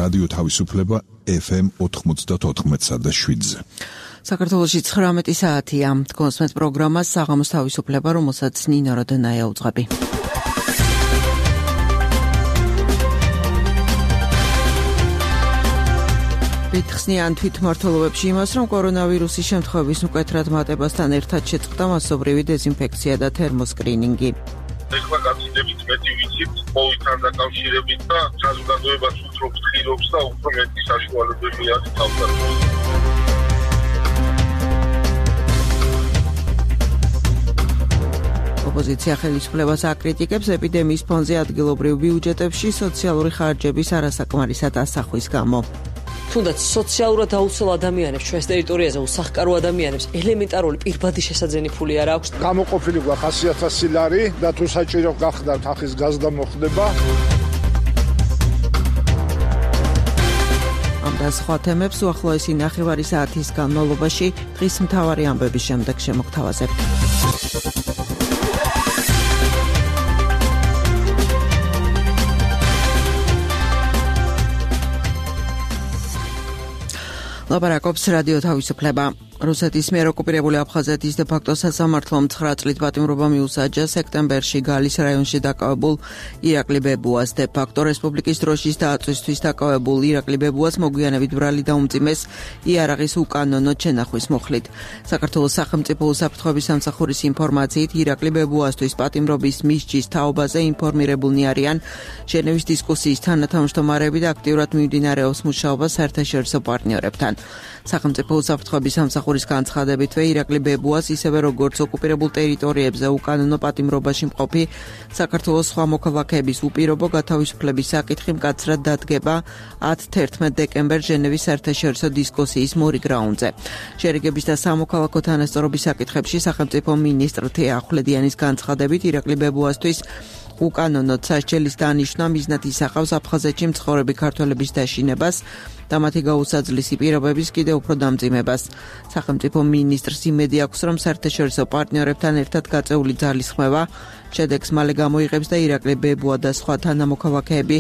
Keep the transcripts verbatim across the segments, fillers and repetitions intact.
რადიო თავისუფლება ეფ ემ ოთხმოცდაოთხ და შვიდზე. საქართველოში ცხრამეტი საათია. კონსმეთ პროგრამას საღამოს თავისუფლება, რომელსაც ნინო როდენაია უძღვები. ვითხსნიან თვითმმართველობებში იმას, რომ კორონავირუსის შემთხვევების მკვეთრად მატებასთან ერთად შეწყდა მასობრივი დეზინფექცია და თერმოსკრინინგი. ეხლა გაცილებით მეტი ვიცით კოვიდთან დაკავშირებით და საზოგადოებას უფრო ფთხილობს და უფრო მეტი საშუალებები აქვს თავდაცვას. ოპოზიცია ხელისუფლებას აკრიტიკებს ეპიდემიის ფონზე ადგილობრივ ბიუჯეტებში სოციალური ხარჯების არასაკმარისად ასახვის გამო. თუნდაც სოციალურად აუცილ ადამიანებს ჩვენს ტერიტორიაზე უსახკარო ადამიანებს ელემენტარული პირბადი შესაძენი ფული არ აქვს. გამოყოფილი გვაქვს ხუთი ათასი ლარი და თუ საჭირო გახდათ ახის გაზდა მოხდება. ამ და სხვა თემებს უახლოესი ნახევარი საათის განმავლობაში დღის მთავარი ამბების შემდეგ შემოგთავაზებთ. ლაპარაკობს რადიო თავისუფლება. რუსეთის მიერ ოკუპირებული აფხაზეთის დე-ფაქტო სასამართლომ ცხრა წლით პატიმრობა მიუსაჯა სექტემბერში გალის რაიონში დაკავებულ ირაკლი ბებუას. დე-ფაქტო რესპუბლიკის დროშის დაწვისთვის დაკავებულ ირაკლი ბებუას მოგვიანებით ბრალი დაუმძიმეს იარაღის უკანონო ჩენახვის მოხლით. საქართველოს სახელმწიფო უსაფრთხოების სამსახურის ინფორმაციით ირაკლი ბებუასთვის პატიმრობის მისჯის თაობაზე ინფორმირებულნი არიან ჟენევის დისკუსიის თანათავმჯდომარეები და აქტიურად მიმდინარეობს მუშაობა საერთაშორისო პარტნიორებთან. სახელმწიფო უსაფრთხოების სამსახურის განცხადებითვე ირაკლი ბებუას ისევე როგორც ოკუპირებულ ტერიტორიებზე უკანონო პატიმრობაში მყოფი საქართველოს სხვა მოქალაქეების უპირობო გათავისუფლების საკითხი მკაცრად დადგება ათი-თერთმეტი დეკემბერს ჟენევის საერთაშორისო დისკუსიის მორიგ რაუნდზე. შერიგების და სამოქალაქო თანასწორობის საკითხებში სახელმწიფო მინისტრ თეა ახვლედიანის განცხადებით ირაკლი ბებუასთვის უკანონოდ სასჯელის დანიშვნა მიზნად ისახავს აფხაზეთში მცხოვრები ქართველების დაშინებას და მათი გაუსაძლისი პირობების კიდევ უფრო დამძიმებას. სახელმწიფო მინისტრს იმედი აქვს, რომ საერთაშორისო პარტნიორებთან ერთად გაწეული ძალისხმევა შედეგს მალე გამოიღებს და ირაკლი ბებუა და სხვა თანამოქალაქეები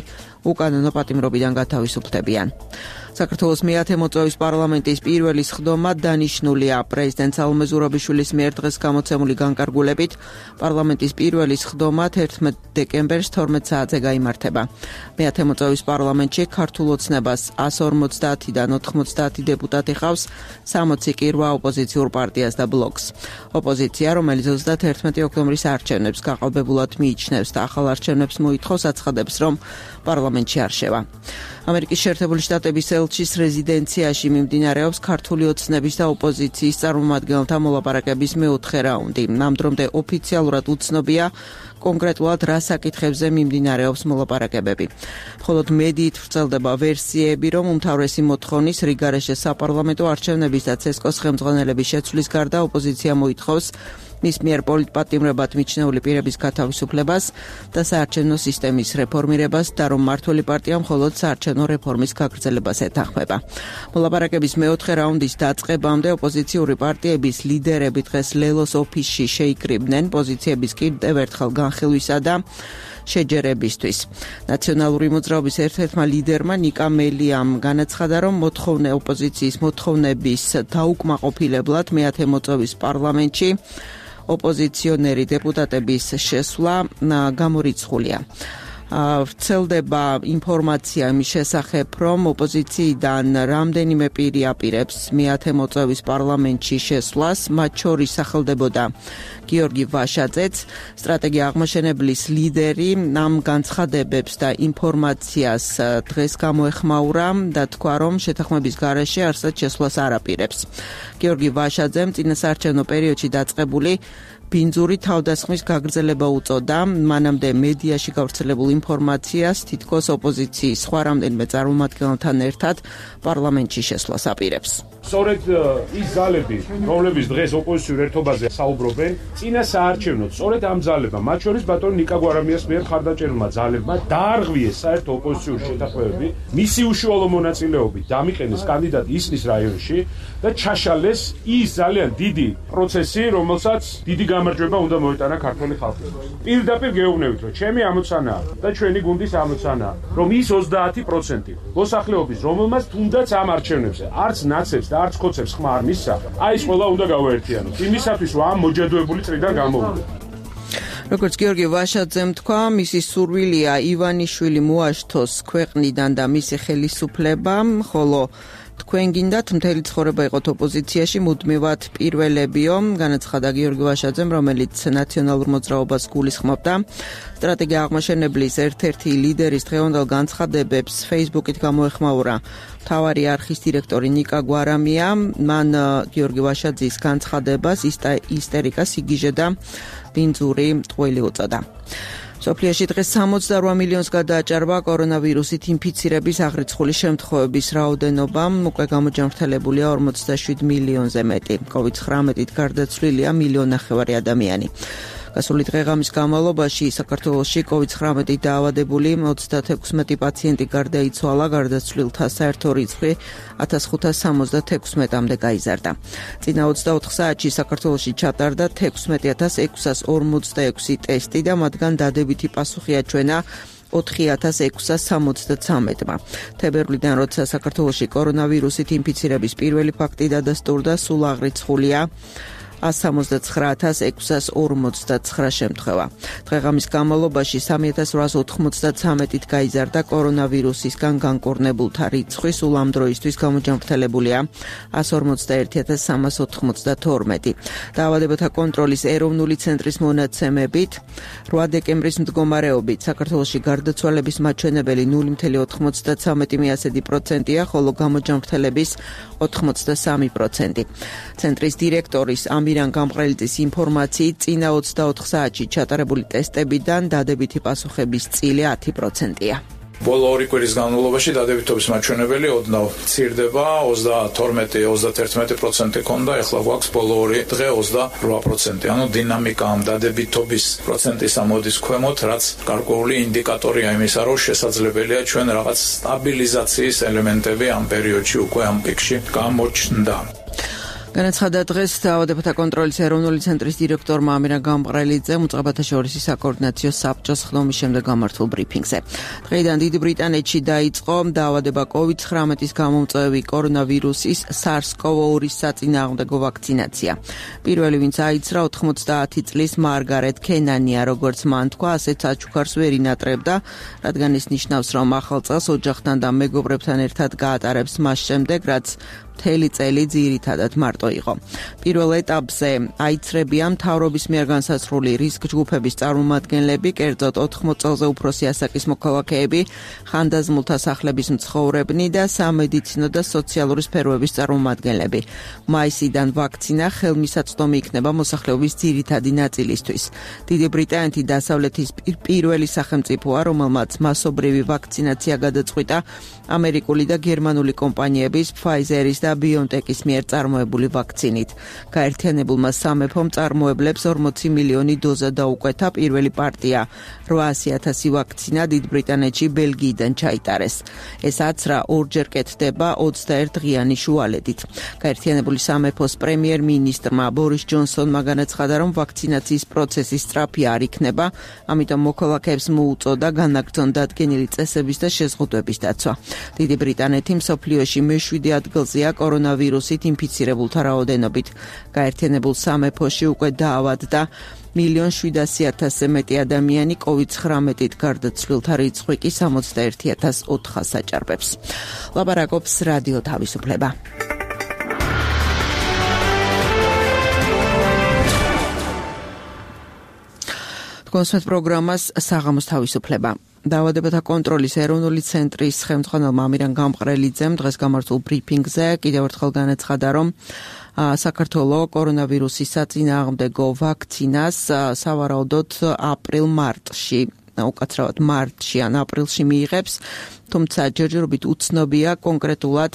უკანონო პატიმრობიდან გათავისუფლებიან. საქართველოს მეათე მოწვევის პარლამენტის პირველი სხდომა დანიშნულია. პრეზიდენტ სალომე ზურაბიშვილის მიერ დღეს გამოცემული განკარგულებით პარლამენტის პირველი სხდომა თერთმეტი დეკემბერს თორმეტ საათზე გაიმართება. მეათე მოწვევის პარლამენტში ქართულ ოცნებას ას ორმოცდაათიდან ოთხმოცდაათი დეპუტატი ხავს, სამოცი კი რვა ოპოზიციურ პარტიას და ბლოკს. ოპოზიცია, რომელიც ოცდათერთმეტი ოქტომბრის არჩევნებს გაყალბებულად მიიჩნევს და ახალ არჩევნებს მოითხოვს, აცხადებს, რომ პარლამენტში არ შევა. ამერიკის შეერთებული შტატების ელჩის რეზიდენციაში მიმდინარეობს ქართული ოცნების და ოპოზიციის წარმომადგენელთა მოლაპარაკების მეოთხე რაუნდი. ნამდვილად ოფიციალურად უცნობია კონკრეტულად რა საკითხებზე მიმდინარეობს მოლაპარაკებები. მხოლოდ მედიით ვრცელდება ვერსიები, რომ უმთავრესი მოთხოვნის რიგარეშე საპარლამენტო არჩევნების და ცესკოს ხელმძღვანელების შეცვლის გარდა ოპოზიცია მოითხოვს მის მიერ პოლიტპატიმრებად მიჩნეული პირების გათავისუფლებას და საარჩევნო სისტემის რეფორმირებას და რომ მმართველი პარტია მხოლოდ საარჩევნო რეფორმის გაგრძელებას ეთანხმება. მოლაპარაკების მეოთხე რაუნდის დაწყებამდე ოპოზიციური პარტიების ლიდერები დღეს ლელოს ოფისში შეიკრიბნენ პოზიციების კიდევ ერთხელ განხილვისა და შეჯერებისთვის. ნაციონალური მოძრაობის ერთ-ერთმა ლიდერმა ნიკა მელიამ განაცხადა, რომ მოთხოვნე ოპოზიციის მოთხოვნების დაუკმაყოფილებლად მეათე მოწვევის პარლამენტში ოპოზიციონერი დეპუტატების შესვლა გამორიცხულია. ვრცელდება ინფორმაცია იმის შესახებ, რომ ოპოზიციიდან რამდენიმე პირი აპირებს მეათე მოწვევის პარლამენტში შესვლას, მათ შორის სახელდებოდა გიორგი ვაშაძეც, სტრატეგია აღმაშენებლის ლიდერი, ამ განცხადებებს და ინფორმაციას დღეს გამოეხმაურა და თქვა, რომ შეთანხმების გარეშე არსად შესვლას არ აპირებს. გიორგი ვაშაძემ წინასაარჩევნო პერიოდში დაწყებული ბინძური თავდასხმის გაგრძელება უწოდა, მანამდე მედიაში გავრცელებულ ინფორმაციას თითქოს ოპოზიციის სხვა რამდენიმე წარმომადგენელთან ერთად პარლამენტში შესვლას აპირებს. სწორედ ის ძალები, რომლებიც დღეს ოპოზიციურ ერთობაზე საუბრობენ, წინასაარჩევნოდ სწორედ ამ ძალებმა, მათ შორის ბატონ ნიკა გვარამიას მიერ ხარდაჭერილმა ძალებმა დაარღვიეს საერთო ოპოზიციური შეთანხმებები, მისი უშუალო მონაწილეობით დამიყენეს კანდიდატი ისნის რაიონში და ჩაშალეს ის ძალიან დიდი პროცესი, რომელსაც დიდი გამარჯვება უნდა მოეტანა ქართული ხალხისთვის. პირდაპირ გეუბნებით, რომ ჩემი ამოცანაა, და ჩვენი გუნდის ამოცანაა, რომ ის ოცდაათი პროცენტი მოსახლეობის, რომელმაც თუნდაც ამ არჩევნებზე არც ნაცებს და არც ხოცებს ხმა არ მისცა, აი ეს ყველა უნდა გავაერთიანოთ. იმისათვის, რომ ამ მოჯადოებული წრიდან გამოვიდეთ. როგორც გიორგი ვაშაძემ თქვა, მისი სურვილია ივანიშვილი მოაშთოს ქვეყნიდან და მისი ხელისუფლება, ხოლო თქვენ გინდათ მთელი ცხოვრება იყოთ ოპოზიციაში, მუდმივად პირველებიო, განაცხადა გიორგი ვაშაძემ, რომელიც ნაციონალურ მოძრაობას გულისხმობდა. სტრატეგია აღმაშენებლის ერთ-ერთი ლიდერის დღევანდელ განცხადებებს Facebook-ით გამოეხმაურა მთავარი არხის დირექტორი ნიკა გვარამია. მან გიორგი ვაშაძის განცხადებას ისტერიკა, სიგიჟე და ბინძური ტყუილი უწოდა. სოფლიოში დღეს სამოცდაორ მილიონს გადააჭარბა კორონავირუსით ინფიცირების აღრიცხული შემთხვევების რაოდენობა, უკვე გამოჯანმრთელებულია ორმოცდაშვიდ მილიონზე მეტი. კოვიდ ცხრამეტით გარდაცვლილია მილიონ ნახევარი ადამიანი. გასული დღე-ღამის განმავლობაში საქართველოში კოვიდ ცხრამეტით დაავადებული ოცდათექვსმეტი პაციენტი გარდაიცვალა, გარდაცვლილთა საერთო რიცხვი ათას ხუთას სამოცდათექვსმეტამდე გაიზარდა. წინა ოცდაოთხ საათში საქართველოში ჩატარდა თექვსმეტი ათას ექვსას ორმოცდაექვსი ტესტი და მათგან დადებითი პასუხი აჩვენა ოთხი ათას ექვსას სამოცდათრამეტმა. თებერვლიდან, როცა საქართველოში კორონავირუსით ინფიცირების პირველი ფაქტი დადასტურდა, სულ აღრიცხულია ას სამოცდაცხრა ათას ექვსას ორმოცდაცხრა შემთხვევა. დღე-ღამის განმავლობაში სამი ათას რვაას ოთხმოცდათრამეტით გაიზარდა კორონავირუსისგან განკურნებულთა რიცხვი, სულ ამ დროისთვის გამოჯანმრთელებულია ას ორმოცდაერთი ათას სამას ოთხმოცდათორმეტი. დაავადებათა კონტროლის ეროვნული ცენტრის მონაცემებით, რვა დეკემბრის მდგომარეობით საქართველოში გარდაცვალების მაჩვენებელი ნული მცდარი ოთხმოცდათრამეტი პროცენტია, ხოლო გამოჯანმრთელების ოთხმოცდასამი პროცენტი. ცენტრის დირექტორის ამირან გამყრელიძის ინფორმაციით, წინა ოცდაოთხ საათში ჩატარებული ტესტებიდან დადებითი პასუხების წილი ათი პროცენტია. ბოლო ორი კვირის განმავლობაში დადებითობის მაჩვენებელი ოდნავ მცირდება, ოცდათორმეტი ოცდაათერთმეტი პროცენტი ქონდა, ეხლა გვაქვს ბოლო ორი დღე ოცდარვა პროცენტი. ანუ დინამიკა ამ დადებითობის პროცენტის ამოდის ქვემოთ, რაც გარკვეული ინდიკატორია იმისა, რომ შესაძლებელია ჩვენ რაღაც სტაბილიზაციის ელემენტები ამ პერიოდში უკვე ამ პიკში გამოჩნდა. განაცხადა დღეს დაავადებათა კონტროლის ეროვნული ცენტრის დირექტორმა ამირან გამყრელიძემ უწყებათა შორისი საკოორდინაციო საბჭოს ხდომის შემდეგ გამართულ ბრიფინგზე. დღეიდან დიდი ბრიტანეთში დაიწყო დაავადება კოვიდ ცხრამეტის გამომწვევი კორონავირუსის SARS CoV two საწინააღმდეგო ვაქცინაცია. პირველი ვინც აიცრა ოთხმოცდაათი წლის მარგარეტ კენანია, როგორც მან თქვა, ასეთ საჩუქარს ვერ ინატრებდა, რადგან ეს ნიშნავს, რომ ახალ წელს ოჯახთან და მეგობრებთან ერთად გაატარებს მას შემდეგ, რაც მთელი წელი ძირითადად მარტო იყო. პირველ ეტაპზე აიცრებიან მთავრობის მიერ განსაზღვრული რისკ ჯგუფების წარმომადგენლები, კერძოდ ოთხმოც წელზე უფროსი ასაკის მოქალაქეები, ხანდაზმულთა სახლების მცხოვრებნი და სამედიცინო და სოციალური სფეროების წარმომადგენლები. მაისიდან ვაქცინა ხელმისაწვდომი იქნება მოსახლეობის ძირითადი ნაწილისთვის. დიდი ბრიტანეთი დასავლეთის პირველი სახელმწიფოა, რომელმაც მასობრივი ვაქცინაცია გადაწყვიტა ამერიკული და გერმანული კომპანიების Pfizer-ის და BioNTech-ის მიერ წარმოებული ვაქცინით. გაერთიანებულმა სამეფომ წარმოებლებს ორმოცი მილიონი დოზა დაუკვეთა, პირველი პარტია რვაასი ათასი ვაქცინა დიდ ბრიტანეთში ბელგიიდან ჩაიტარეს. ეს აცრა ორჯერ კეთდება ოცდაერთ დღიანი შუალედით. გაერთიანებული სამეფოს პრემიერ-მინისტრმა ბორის ჯონსონმა განაცხადა, რომ ვაქცინაციის პროცესი სწრაფი არ იქნება, ამიტომ მოქალაქეებს მოუწოდა განაგრძონ დადგენილი წესების და შეზღუდვების დაცვა. დიდი ბრიტანეთი მსოფლიოში მეშვიდე ადგილზეა კორონავირუსით ინფიცირებულთა რაოდენობით. გაერთიანებულ სამეფოში უკვე დაავადდა მილიონ შვიდასი ათასზე მეტი ადამიანი, კოვიდ ცხრამეტით გარდაცვლილთა რიცხვი კი სამოცდაერთი ათას ოთხას აჭარბებს. ლაპარაკობს რადიო თავისუფლება. კონსერტ პროგრამას საღამოს თავისუფლება. დაავადებათა კონტროლის ეროვნული ცენტრის ხელმძღვანელმა ამირან გამყრელიძემ დღეს გამართულ ბრიფინგზე კიდევ ერთხელ განაცხადა, რომ საქართველოს კორონავირუსის საწინააღმდეგო ვაქცინას სავარაუდოდ აპრილ-მარტში, უკაცრავად მარტში ან აპრილში მიიღებს, თუმცა ჯერჯერობით უცნობია კონკრეტულად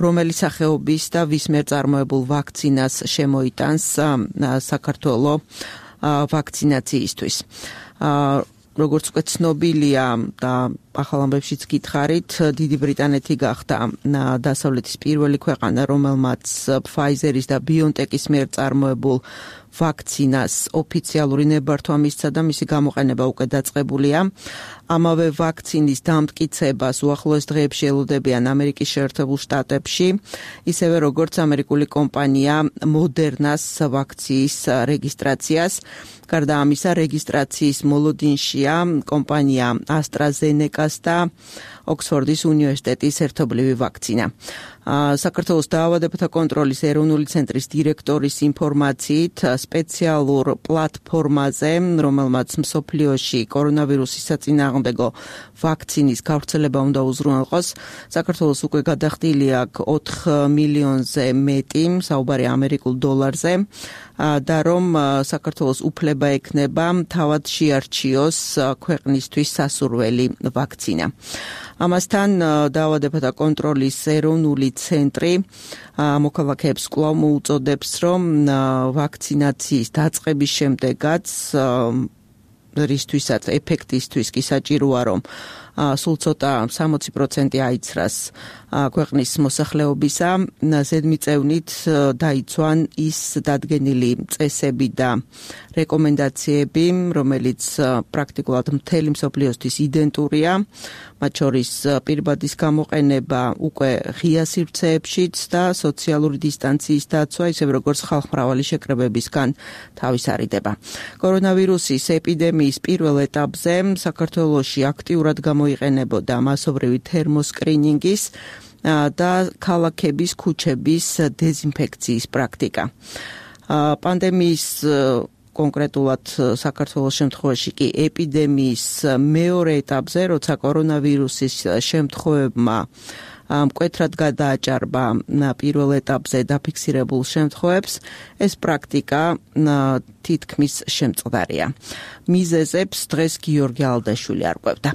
რომელი სახეობის და ვის მიერ წარმოებულ ვაქცინას შემოიტანს საქართველოს ვაქცინაციისთვის. როგორც უკვე ცნობილია და ახალ ამბებშიც გითხარით, დიდი ბრიტანეთი გახდა დასავლეთის პირველი ქვეყანა, რომელმაც Pfizer-ის და BioNTech-ის მიერ წარმოებულ ვაქცინას ოფიციალური ნებართვა მისცა და მისი გამოყენება უკვე დაწყებულია. ამავე ვაქცინის დამტკიცებას უახლოეს დღეებში ელოდებიან ამერიკის შეერთებულ შტატებში, ისევე როგორც ამერიკული კომპანია მოდერნას ვაქციის რეგისტრაციას. გარდა ამისა, რეგისტრაციის მოლოდინშია კომპანია AstraZeneca-ს და ოქსფორდის უნივერსიტეტის ერთობლივი ვაქცინა. საქართველოს დაავადებათა კონტროლის ეროვნული ცენტრის დირექტორის ინფორმაციით, სპეციალურ პლატფორმაზე, რომელმაც მსოფლიოში კორონავირუსის საწინააღმდეგო ვაქცინის გავრცელება უნდა უზრუნველყოს, საქართველოს უკვე გადახდილი აქვს ოთხ მილიონზე მეტი, საუბარი ამერიკულ დოლარზე, და რომ საქართველოს უფლება ექნება თავად შეარჩიოს ქვეყნისთვის სასურველი ვაქცინა. ამასთან დაავადებათა კონტროლის ეროვნული ცენტრი მოქალაქეებს კვლავ მოუწოდებს, რომ ვაქცინაციის დაწყების შემდეგაც რისთვისაც ეფექტისთვის კი საჭიროა, რომ სულ ცოტა სამოცი პროცენტი აიცრას ქვეყნის მოსახლეობისა, ზედმიწევნით დაიცვან ის დადგენილი წესები და რეკომენდაციები, რომელიც პრაქტიკულად მთელი მსოფლიოსთვის იდენტურია, მათ შორის პირბადის გამოყენება უკვე ღია სივრცეებშიც და სოციალური დისტანციის დაცვა, ისევე როგორც ხალხმრავალი შეკრებებისგან თავის არიდება. კორონავირუსის ეპიდემიის პირველ ეტაპზე საქართველოში აქტიურად გამოიყენებოდა მასობრივი თერმოსკრინინგის და ქალაქების, ქუჩების დეზინფექციის პრაქტიკა. პანდემიის კონკრეტულად საქართველოს შემთხვევაში კი ეპიდემიის მეორე ეტაპზე, როცა კორონავირუსის შემთხვევებმა მკვეთრად გადააჭარბა პირველ ეტაპზე დაფიქსირებულ შემთხვევებს, ეს პრაქტიკა თითქმის შემწყდარია. მიზეზებს დღეს გიორგი ალდაშვილი არკვევდა.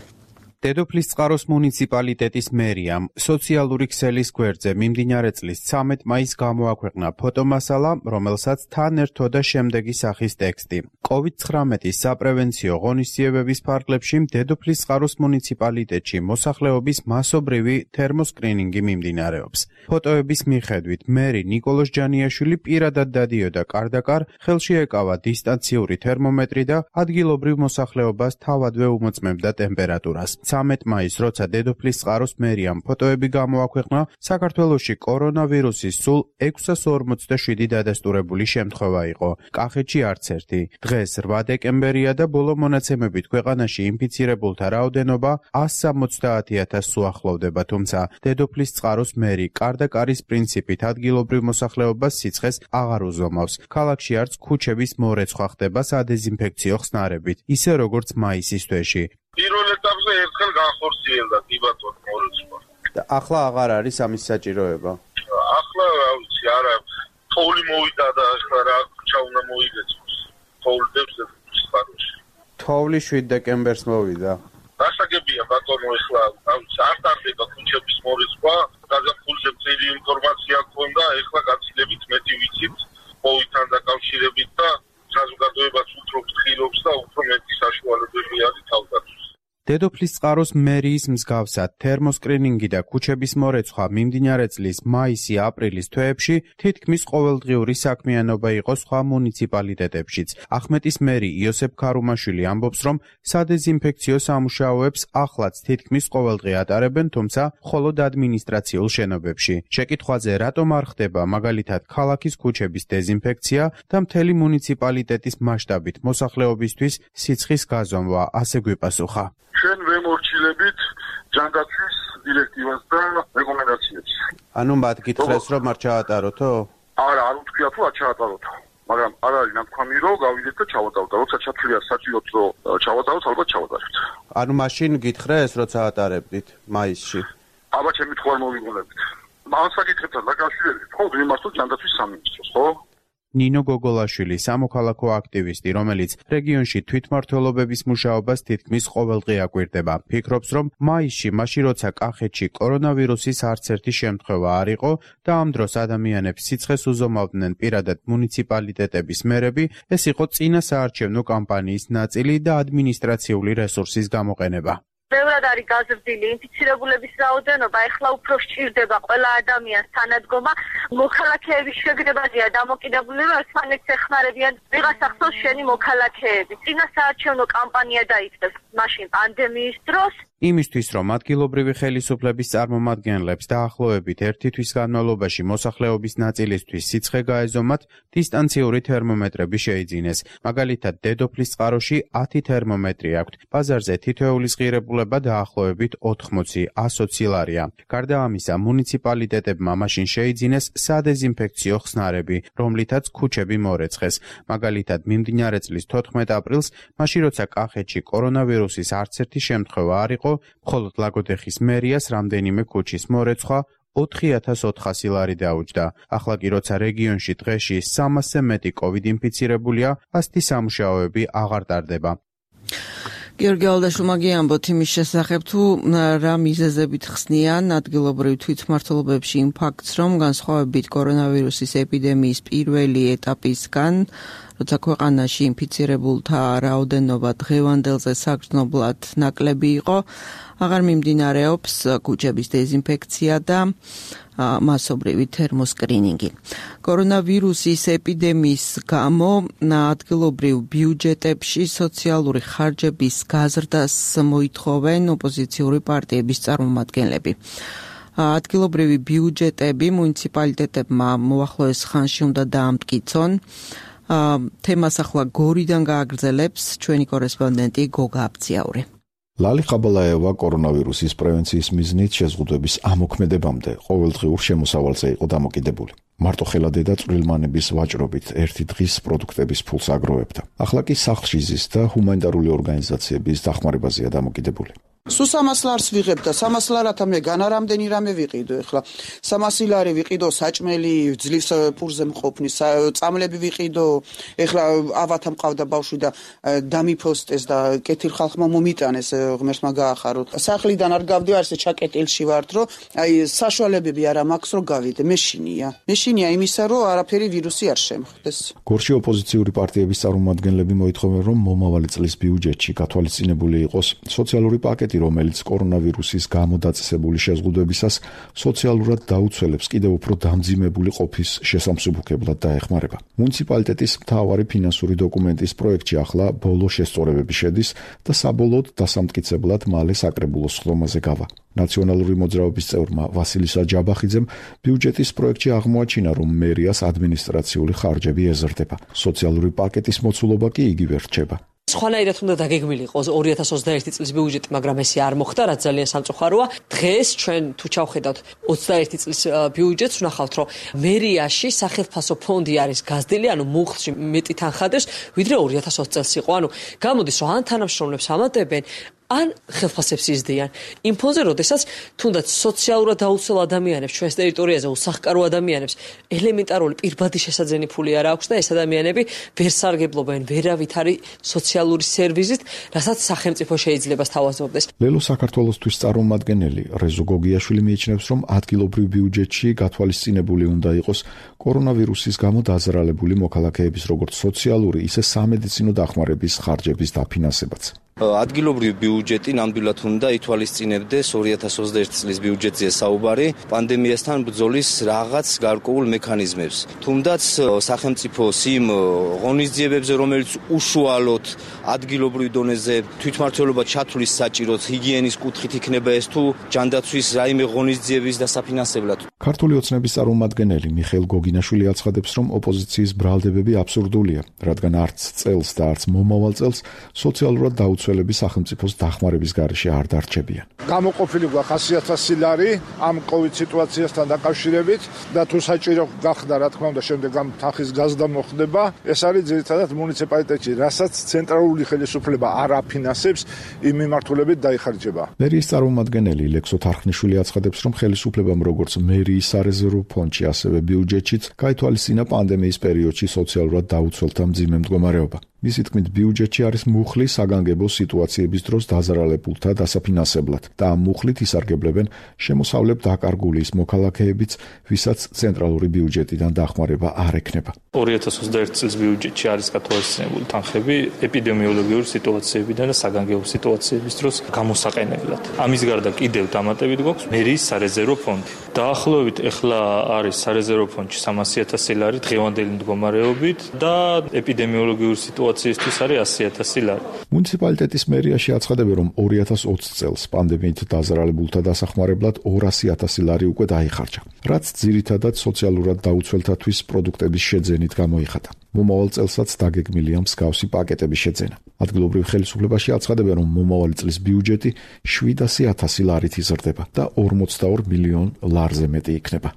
დედოფლისწყაროს მუნიციპალიტეტის მერიამ სოციალური ქსელის გვერდზე მიმდინარე წლის ცამეტ მაისს გამოაქვეყნა ფოტომასალა, რომელსაც თან ერთოდა შემდეგი სახის ტექსტი. კოვიდ ცხრამეტის საპრევენციო ღონისძიებების ფარგლებში დედოფლისწყაროს მუნიციპალიტეტში მოსახლეობის მასობრივი თერმოსკრინინგი მიმდინარეობს. ფოტოების მიხედვით, მერი ნიკოლოზ ჯანიაშვილი პირადად დადიოდა კარდაკარ, ხელში ეკავა დისტანციური თერმომეტრი და ადგილობრივ მოსახლეობას თავადვე უმოწმებდა ტემპერატურას. ცამეტ მაისს, როცა დედოფლისწყაროს მერიამ ფოტოები გამოაქვეყნა, საქართველოში კორონავირუსის სულ ექვსას ორმოცდაშვიდი დადასტურებული შემთხვევა იყო. კახეთში არც ერთი. დღეს რვა დეკემბერია და ბოლო მონაცემებით ქვეყანაში ინფიცირებულთა რაოდენობა ას სამოცდაათი ათასს უახლოვდება, თუმცა დედოფლისწყაროს მერი კარდაკარის პრინციპით ადგილობრივ მოსახლეობას სიცხეს აღარ უზომავს. ქალაქში არც ქუჩების მორეცხვა ხდება სადეზინფექციო ხსნარებით, ისე როგორც მაისის თვეში. პირველ ეტაპზე ერთხელ განხორციელდა კი ბატონო მორეცხვა. და ახლა აღარ არის ამის საჭიროება. ახლა რა ვიცი, არა, თოვლი მოვიდა და ახლა რა ქუჩა უნდა მოიგეცოს. თოვლი დებს წყაროში. თოვლი შვიდ დეკემბერს მოვიდა. გასაგებია ბატონო, ახლა რა ვიცი, არ ტარდება ქუჩების მორეცხვა, გაზაფხულზე ძლიერი ინფორმაცია ჰქონდა, ახლა გაცილებით მეტი ვიცით კოვიდთან დაკავშირებით და საზოგადოებას უფრო ფრთხილობს და უფრო მეტი საშუალებები არის თავდაცვის. დედოფლისწყაროს მერიის მსგავსად თერმოსკრინინგი და ქუჩების მორეცხვა მიმდინარე წლის მაისი-აპრილის თვეებში თითქმის ყოველდღიური საქმიანობა იყო სხვა მუნიციპალიტეტებშიც. ახმეტის მერი იოსებ ქარუმაშვილი ამბობს, რომ სადეზინფექციო სამუშაოებს ახლაც თითქმის ყოველდღე ატარებენ, თუმცა მხოლოდ ადმინისტრაციულ შენობებში. შეკითხვაზე რატომ არ ხდება მაგალითად ქალაქის ქუჩების დეზინფექცია და მთელი მუნიციპალიტეტის მასშტაბით მოსახლეობისთვის სიცხის გაზომვა, ასე გვიპასუხა. ჩვენ ვემორჩილებით ჯანდაცვის დირექტივას და რეკომენდაციებს. ანუ მათ გითხრეს, რომ არ ჩაატაროთო? არა, არ უთქვია თუ არ ჩაატაროთო. მაგრამ არ არის ნათქვამი, რომ გავიდეთ და ჩავატაროთ. როცა ჩათვლია საჭიროც, რომ ჩავატაროთ, ალბათ ჩავატარებთ. ანუ მაშინ გითხრეს, როცა ატარებდით მაისში? აბა, ჩემი თქვა მოვიგონებით. ამ საკითხებთან დაკავშირებით, ხო, ვიმართოთ ჯანდაცვის სამინისტროს, ხო? ნინო გოგოლაშვილი, სამოქალაქო აქტივისტი, რომელიც რეგიონში თვითმმართველობების მუშაობას თითქმის ყოველდღე აკვირდება, ფიქრობს, რომ მაისში, მაშინ როცა კახეთში კორონავირუსის არც ერთი შემთხვევა არ იყო და ამ დროს ადამიანებს სიცხეს უზომავდნენ პირადად მუნიციპალიტეტების მერები, ეს იყო წინა საარჩევნო კამპანიის ნაწილი და ადმინისტრაციული რესურსის გამოყენება. ბევრად არის გაზრდილი ინფიცირებულების რაოდენობა, ეხლა უფრო სჭირდება ყველა ადამიანს თანადგომა. მოქალაქეების შეგნებაზეა დამოკიდებული, რომ ერთმანეთს ეხმარებიან ვიღაცა ხსოვს შენი მოქალაქეები. წინა საარჩევნო კამპანია დაიწყეს მაშინ პანდემიის დროს. იმისთვის, რომ ადგილობრივი ხელისუფლების წარმომადგენლებს დაახლოებით ერთი თვის განმავლობაში მოსახლეობის ნაწილისთვის სიცხე გაეზომათ, დისტანციური თერმომეტრები შეიძინეს. მაგალითად, დედოფლის წყაროში ათი თერმომეტრი აქვთ. ბაზარზე თითოეულის ღირებულება დაახლოებით ოთხმოცი ათი ლარია. გარდა ამისა, მუნიციპალიტეტებმა მაშინ შეიძინეს სადეზინფექციო ხსნარები, რომლითაც ქუჩები მორეცხეს. მაგალითად, მიმდინარე წლის თოთხმეტ აპრილს, მაშინ როცა კახეთში კორონავირუსის არც ერთი შემთხვევა არ იყო, მხოლოდ ლაგოდეხის მერიას რამდენიმე ქუჩის მორეცხვა ოთხი ათას ოთხასი ლარი დაუჯდა. ახლა კი როცა რეგიონში დღეში სამასზე მეტი კოვიდ ინფიცირებულია, ასეთი სამუშაოები აღარ ტარდება. გიორგი ალდაშვილმა გიამბოთ იმის შესახებ, თუ რა მიზეზებით ხსნიან ადგილობრივ თვითმმართველობებში იმ ფაქტს, რომ განსხვავებით კორონავირუსის ეპიდემიის პირველი ეტაპისგან, როცა ქვეყანაში ინფიცირებულთა რაოდენობა დღევანდელზე საგრძნობლად ნაკლები იყო, აღარ მიმდინარეობს ქუჩების დეზინფექცია და მასობრივი თერმოსკრინინგი. კორონავირუსის ეპიდემიის გამო ადგილობრივ ბიუჯეტებში სოციალური ხარჯების გაზრდას მოითხოვენ ოპოზიციური პარტიების წარმომადგენლები. ადგილობრივი ბიუჯეტები მუნიციპალიტეტებმა მოახლოეს ხანში უნდა დაამტკიცონ. თემას ახლა გორიდან გააგრძელებს ჩვენი კორესპონდენტი გოგა აბციაური. ლალი ხაბალაევა კორონავირუსის პრევენციის მიზნით შეზღუდვების ამოქმედებამდე ყოველდღიურ შემოსავალზე იყო დამოკიდებული. მარტო ხელადედა წვრილმანების ვაჭრობით ერთი დღის პროდუქტების ფულს აგროვებდა. ახლა კი სახლში ზის და ჰუმანიტარული ორგანიზაციების დახმარებაზეა დამოკიდებული. სულ სამას ლარს ვიღებ და სამას ლარათა მე განარამდენი რამე ვიყიდო. ეხლა სამასი ლარი ვიყიდო საჭმელი ძლივს ფურზე მყოფნის, წამლები ვიყიდო. ეხლა ავათა მყავდა ბავშვი და დამიფოსტეს და კეთილ ხალხმა მომიტანეს, ღმერთმა გაახარო. სახლიდან არ გავდივარ, ესე ჩაკეტილში ვართ, რომ აი საშუალებები არ მაქვს რომ გავიდე. მეშინია. მეშინია იმისა, რომ არაფერი ვირუსი არ შემხვდეს. გორში ოპოზიციური პარტიების წარმომადგენლები მოითხოვენ, რომ მომავალი წლის ბიუჯეტში გათვალისწინებული იყოს სოციალური პაკეტი, რომელიც კორონავირუსის გამო დაწესებული შეზღუდვებისას სოციალურად დაუცველებს კიდევ უფრო დამძიმებული ყოფის შესამსუბუქებლად დაეხმარება. მუნიციპალიტეტის მთავარი ფინანსური დოკუმენტის პროექტში ახლა ბოლო შესწორებები შედის და საბოლოოდ დასამტკიცებლად მალე საკრებულოს ხდომაზე გავა. ნაციონალური მოძრაობის წევრმა ვასილისა ჯაბახიძემ ბიუჯეტის პროექტში აღმოაჩინა, რომ მერიას ადმინისტრაციული ხარჯები ეზრდება. სოციალური პაკეტის მოცულობა კი იგივე რჩება. სხვანაირად უნდა დაგეგმილიყო ორი ათას ოცდაერთი წლის ბიუჯეტი, მაგრამ ესე არ მოხდა, რაც ძალიან სამწუხაროა. დღეს ჩვენ თუ ჩავხედავთ ოცდაერთი წლის ბიუჯეტს, ვნახავთ, რომ მერიაში სახელმწიფო ფონდი არის გაზრდილი, ანუ მუხლში მეტი თანხა დევს, ვიდრე ორი ათას ოცი წელს იყო. ანუ გამოდის, რომ ან თანამშრომლებს ამატებენ, ან ხელფასებს იზრდიან. იმ ფონზე, როდესაც თუნდაც სოციალურად დაუცველ ადამიანებს ჩვენს ტერიტორიაზე, უსახკარო ადამიანებს ელემენტარული პირბადი შესაძენი ფული არ აქვს და ეს ადამიანები ვერ სარგებლობენ ვერავითარი სოციალური სერვისით, რასაც სახელმწიფო შეიძლება სთავაზობდეს. ლელო საქართველოსთვის წარმომადგენელი რეზო გოგიაშვილი მიიჩნევს, რომ ადგილობრივ ბიუჯეტში გათვალისწინებული უნდა იყოს კორონავირუსის გამო დაზარალებული მოქალაქეების როგორც სოციალური, ისე სამედიცინო დახმარების ხარჯების დაფინანსებაც. ადგილობრივი ბიუჯეტი ნამდვილად უნდა ითვალისწინებდეს ორი ათას ოცდაერთი წლის ბიუჯეტზე საუბარი პანდემიასთან ბრძოლის რაღაც გარკვეულ მექანიზმებს. თუმდაც სახელმწიფოს იმ ღონისძიებებზე, რომელიც უშუალოდ ადგილობრივ დონეზე თვითმმართველობა ჩათვლის საჭიროდ ჰიგიენის კუთხით იქნება ეს თუ ჯანდაცვის რაიმე ღონისძიების დასაფინანსებლად. ქართული ოცნების წარმომადგენელი მიხეილ გოგინაშვილი აცხადებს, რომ ოპოზიციის ბრალდებები აბსურდულია, რადგან არც წელს და არც მომავალ წელს სოციალურად დაუცველები სახელმწიფოს დახმარების გარეშე არ დარჩებიან. გამოყოფილი გვაქვს ათი ათასი ლარი ამ კოვიდ სიტუაციასთან დაკავშირებით და თუ საჭირო გახდა, რა თქმა უნდა, შემდეგ ამ თანხის გაზრდა მოხდება. ეს არის ძირითადად მუნიციპალიტეტში, რასაც ცენტრალური ხელისუფლება არ აფინანსებს, იმ მიმართულებით დაიხარჯება. მერიის წარმომადგენელი ლექსო თარხნიშვილი აცხადებს, რომ ხელისუფლებამ როგორც მერიის სარეზერვო ფონდში, ასევე ბიუჯეტშიც გაითვალისწინა პანდემიის პერიოდში სოციალურად დაუცველთა მძიმე მდგომარეობა. მისი თქმით, ბიუჯეტში არის მუხლი საგანგებო სიტუაციების დროს დაზარალებულთა დასაფინანსებლად და ამ მუხლით ისარგებლებენ შემოსავლებ დაკარგული ის მოქალაქეებიც, ვისაც ცენტრალური ბიუჯეტიდან დახმარება არ ექნება. ორი ათას ოცდაერთი წლის ბიუჯეტში არის გათვალისწინებული თანხები ეპიდემიოლოგიური სიტუაციებიდან და საგანგებო სიტუაციების დროს გამოსაყენებლად. ამის გარდა კიდევ დამატებით გვაქვს მერიის სარეზერვო ფონდი. დაახლოებით ეხლა არის სარეზერვო ფონდში სამასი ათასი ლარი დღევანდელი მდგომარეობით და ეპიდემიოლოგიური სიტუაციისთვის არის ასი ათასი ლარი. მუნიციპალიტეტის მერიაში აცხადებენ, რომ ორი ათას ოცი წელს პანდემიით დაზარალებულთა დასახმარებლად ორასი ათასი ლარი უკვე დაიხარჯა, რაც ძირითადად სოციალურად დაუცველთათვის პროდუქტების შეძენით გამოიხატა. მომავალ წელსაც დაგეგმილია მსგავსი პაკეტების შეძენა. ადგილობრივ ხელისუფლებაში აცხადებენ, რომ მომავალი წლის ბიუჯეტი შვიდასი ათასი ლარით იზრდება და ორმოცდაორ მილიონ ლარზე მეტი იქნება.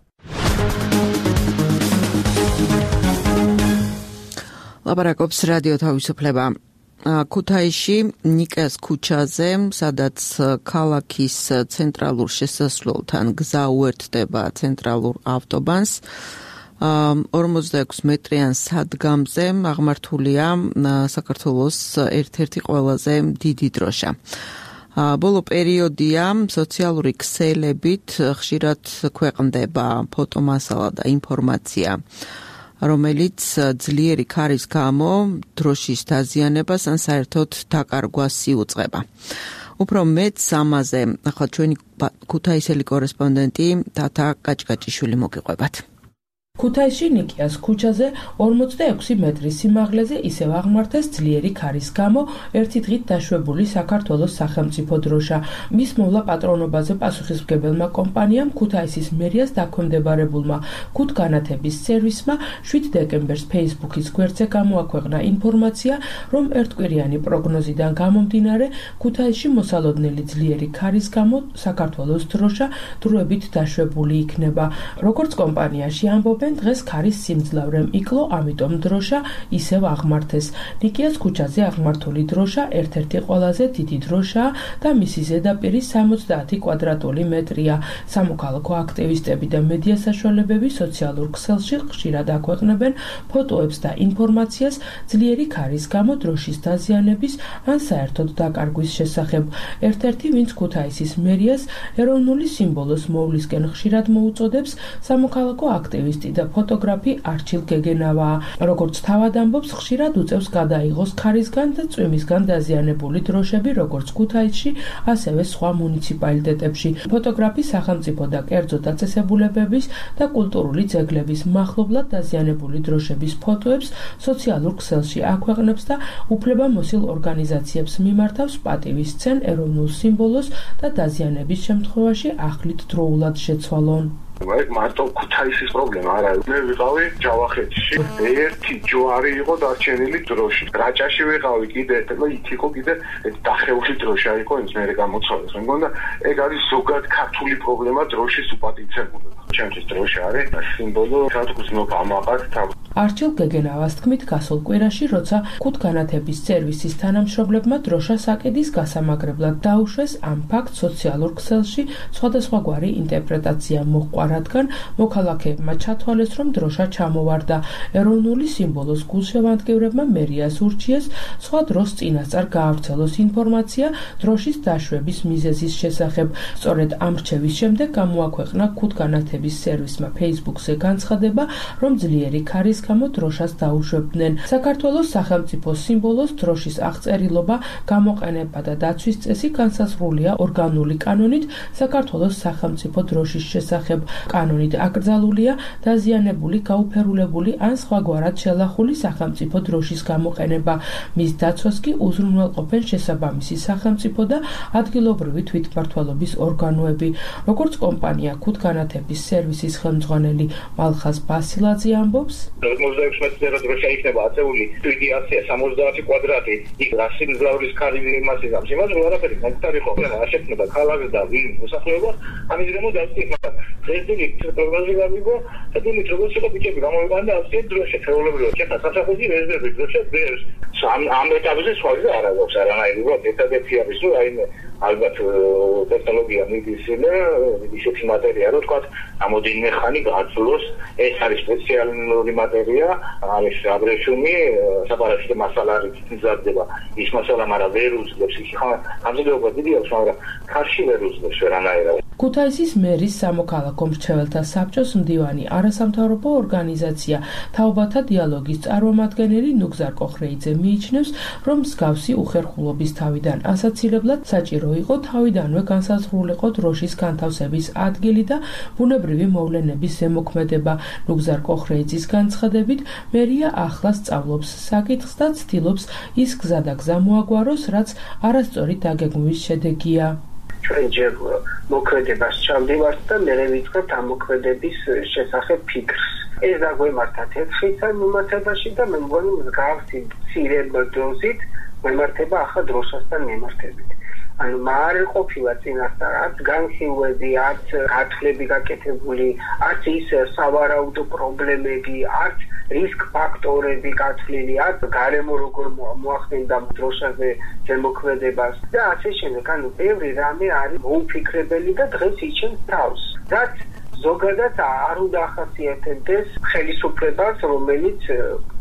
ლაპარაკობს რადიო თავისუფლება. ქუთაისში ნიკას ქუჩაზე, სადაც ქალაქის ცენტრალურ შესასვლელთან გზა უერთდება ცენტრალურ ავტობანს, ორმოცდაექვსი მეტრიან სადგამზე აღმართულია საქართველოს ერთ-ერთი ყველაზე დიდი დროშა. ბოლო პერიოდია სოციალური ქსელებით ხშირად ქვეყნდება ფოტომასალა და ინფორმაცია, რომელიც ძლიერი ქარის გამო დროშის დაზიანებას ან საერთოდ დაკარგვას იუწყება. უფრო მეტ ამაზე ახლა ჩვენი ქუთაისელი კორესპონდენტი თათა კაჭკაჭიშვილი მოგიყვებათ. ქუთაისში ნიკიას ქუჩაზე ორმოცდაექვსი მეტრის სიმაღლეზე ისევ აღმართეს ძლიერი ქარის გამო ერთი დღით დაშვებული საქართველოს სახელმწიფო დროშა. მის მოვლა პატრონობაზე პასუხისმგებელმა კომპანიამ ქუთაისის მერიას დაქვემდებარებულმა ქუთგანათების სერვისმა შვიდ დეკემბერს ფეისბუქის გვერდზე გამოაქვეყნა ინფორმაცია, რომ ერთკვირიანი პროგნოზიდან გამომდინარე ქუთაისში მოსალოდნელი ძლიერი ქარის გამო საქართველოს დროშა დროებით დაშვებული იქნება. როგორც კომპანიაში ამბობენ, დღეს ქარის სიმძლავრემ იკლო, ამიტომ დროშა ისევ აღმართეს. ნიკიას ქუჩაზე აღმართული დროშა ერთ-ერთი ყველაზე დიდი დროშაა და მისი ზედაპირი სამოცდაათი კვადრატული მეტრია. სამოქალაქო აქტივისტები და მედია საშუალებები სოციალურ ქსელში ხშირად აქვეყნებენ ფოტოებს და ინფორმაციას ძლიერი ქარის გამო დროშის დაზიანების ან საერთოდ დაკარგვის შესახებ. ერთ-ერთი, ვინც ქუთაისის მერიას ეროვნული სიმბოლოს მოვლისკენ ხშირად მოუწოდებს, სამოქალაქო აქტივისტი და ფოტოგრაფი არჩილ გეგენავაა. როგორც თავად ამბობს, ხშირად უწევს გადაიღოს ქარისგან და წვიმისგან დაზიანებული დროშები, როგორც ქუთაისში, ასევე სხვა მუნიციპალიტეტებში. ფოტოგრაფი სახელმწიფო და კერძო დაწესებულებების და კულტურული ძეგლების მახლობლად დაზიანებული დროშების ფოტოებს სოციალურ ქსელში აქვეყნებს და უფლებამოსილ ორგანიზაციებს მიმართავს პატივისცენ ეროვნულ სიმბოლოს და დაზიანების შემთხვევაში ახლით დროულად შეცვალონ. ეგ მარტო ქუთაისის პრობლემა არა. მე ვიყავი ჯავახეთში, ერთი ჯვარი იყო დარჩენილი დროში. რაჭაში ვიყავი კიდე, და იქ იყო კიდე დახეული დროშა იყო, ის მე გამოცვალეს. მე მგონია ეგ არის ზოგად ქართული პრობლემა დროშის უპატივცემობა. ჩემთვის დროშა არის სიმბოლო, სადაც მოგამაყად თავ. არჩილ გეგენავას თქმით, გასულ კვირაში, როცა ქუთგანათების სერვისის თანამშრომლებმა დროშა საკედის გასამაგრებლად დაუშვეს, ამ ფაქტს სოციალურ ქსელში სხვადასხვაგვარი ინტერპრეტაცია მოჰყვა, რადგან მოქალაქეებმა ჩათვალეს, რომ დროშა ჩამოვარდა. ეროვნული სიმბოლოს გულშევანდგევრებმა მერიას ურჩიეს სხვა დროს წინასწარ გაავრცელოს ინფორმაცია დროშის დაშვების მიზეზის შესახებ. სწორედ ამ რჩევის შემდეგ გამოაქვეყნა ქუთგანათების სერვისმა ფეისბუქზე განცხადება, რომ ძლიერი ქარის გამო დროშას დაუშვებდნენ. საქართველოს სახელმწიფო სიმბოლოს დროშის აღწერილობა, გამოყენება და დაცვის წესი განსაზღვრულია ორგანული კანონით საქართველოს სახელმწიფო დროშის შესახებ. კანონით აკრძალულია დაზიანებული, გაუფერულებული ან სხვაგვარად შელახული სახელმწიფო დროშის გამოყენება. მის დაცვას კი უზრუნველყოფენ შესაბამისი სახელმწიფო და ადგილობრივი თვითმმართველობის ორგანოები. როგორც კომპანია ქუთგანათების სერვისის ხელმძღვანელი მალხაზ ბასილაძე ამბობს, ორმოცდაექვსი მეტრი დროშა იქნება აწეული, იდეაცია სამოცდაათი კვადრატი, იქ რასიმძლავრის ქარი მასის ამ შემაძ ვარაფერი ნაკტარი ხო რა შექმნება ქალაქს და ვინ მოსახლეობა, ამის გამო დავწიხნა. Președinte, probabil că amigo, atunci trebuie să pice la momentul ăsta să drășe, să le vreau. Ce fac? Să fac zi vezi de drășe, vezi. Să am am etapele soare, ara, o să ara mai vreau, etapele de fie visu, ai albat tehnologia medicine, medicine materialul, tot am o din mecanică, atlos, ეს არის სპეციალური მატერია, არის აბრეშუმი, საპარასიტო მასალარი მზადდება. ის მასალა მაგრამ ვერ უძლებს, ის ხა ამზადება დიდი აქვს, მაგრამ ქარში ვერ უძლებს ვერანაირად. ქუთაისის მერის სამოქალაქო მრჩეველთა საბჭოს მდივანი არასამთავრობო ორგანიზაცია თაობათა დიალოგის წარმომადგენელი ნუგზარ კოხრეიძე მიიჩნევს, რომ მსგავსი უხერხულობის თავიდან ასაცილებლად საჭირო იყო თავიდანვე განსაზღვრულიყო დროშის განთავსების ადგილი და ბუნებრივი მოვლენების ზემოქმედება. ნუგზარ კოხრეიძის განცხადებით, მერია ახლა სწავლობს საკითხს და ცდილობს ის გზადაგზა მოაგვაროს, რაც არასწორი დაგეგმვის შედეგია. ჩვენ ჯერ მოქმედებას ჩავდივართ და მერე ვიწყებთ ამ მოქმედების შესახებ ფიქრს. ეს დაგვემართათ ერთხელ მიმართებაში და მე მგონი მსგავსი მცირე დროებით მიმართება ახლა დროშასთან მიმართებით. ანუ მარ ყოფილა წინასწარ არც განხილვები, არც გათვლები გაკეთებული, არც ის სავარაუდო პრობლემები, არც რისკ ფაქტორები გათვლილი, არც გარემო როგორ მოახდენდა დროშაზე ზემოქმედებას და ასე შემდეგ. ანუ ბევრი რამე არის მოუფიქრებელი და დღეს იჩენს თავს. რაც ზოგადად არ უნდა ახასიათებდეს ხელისუფლებას, რომელიც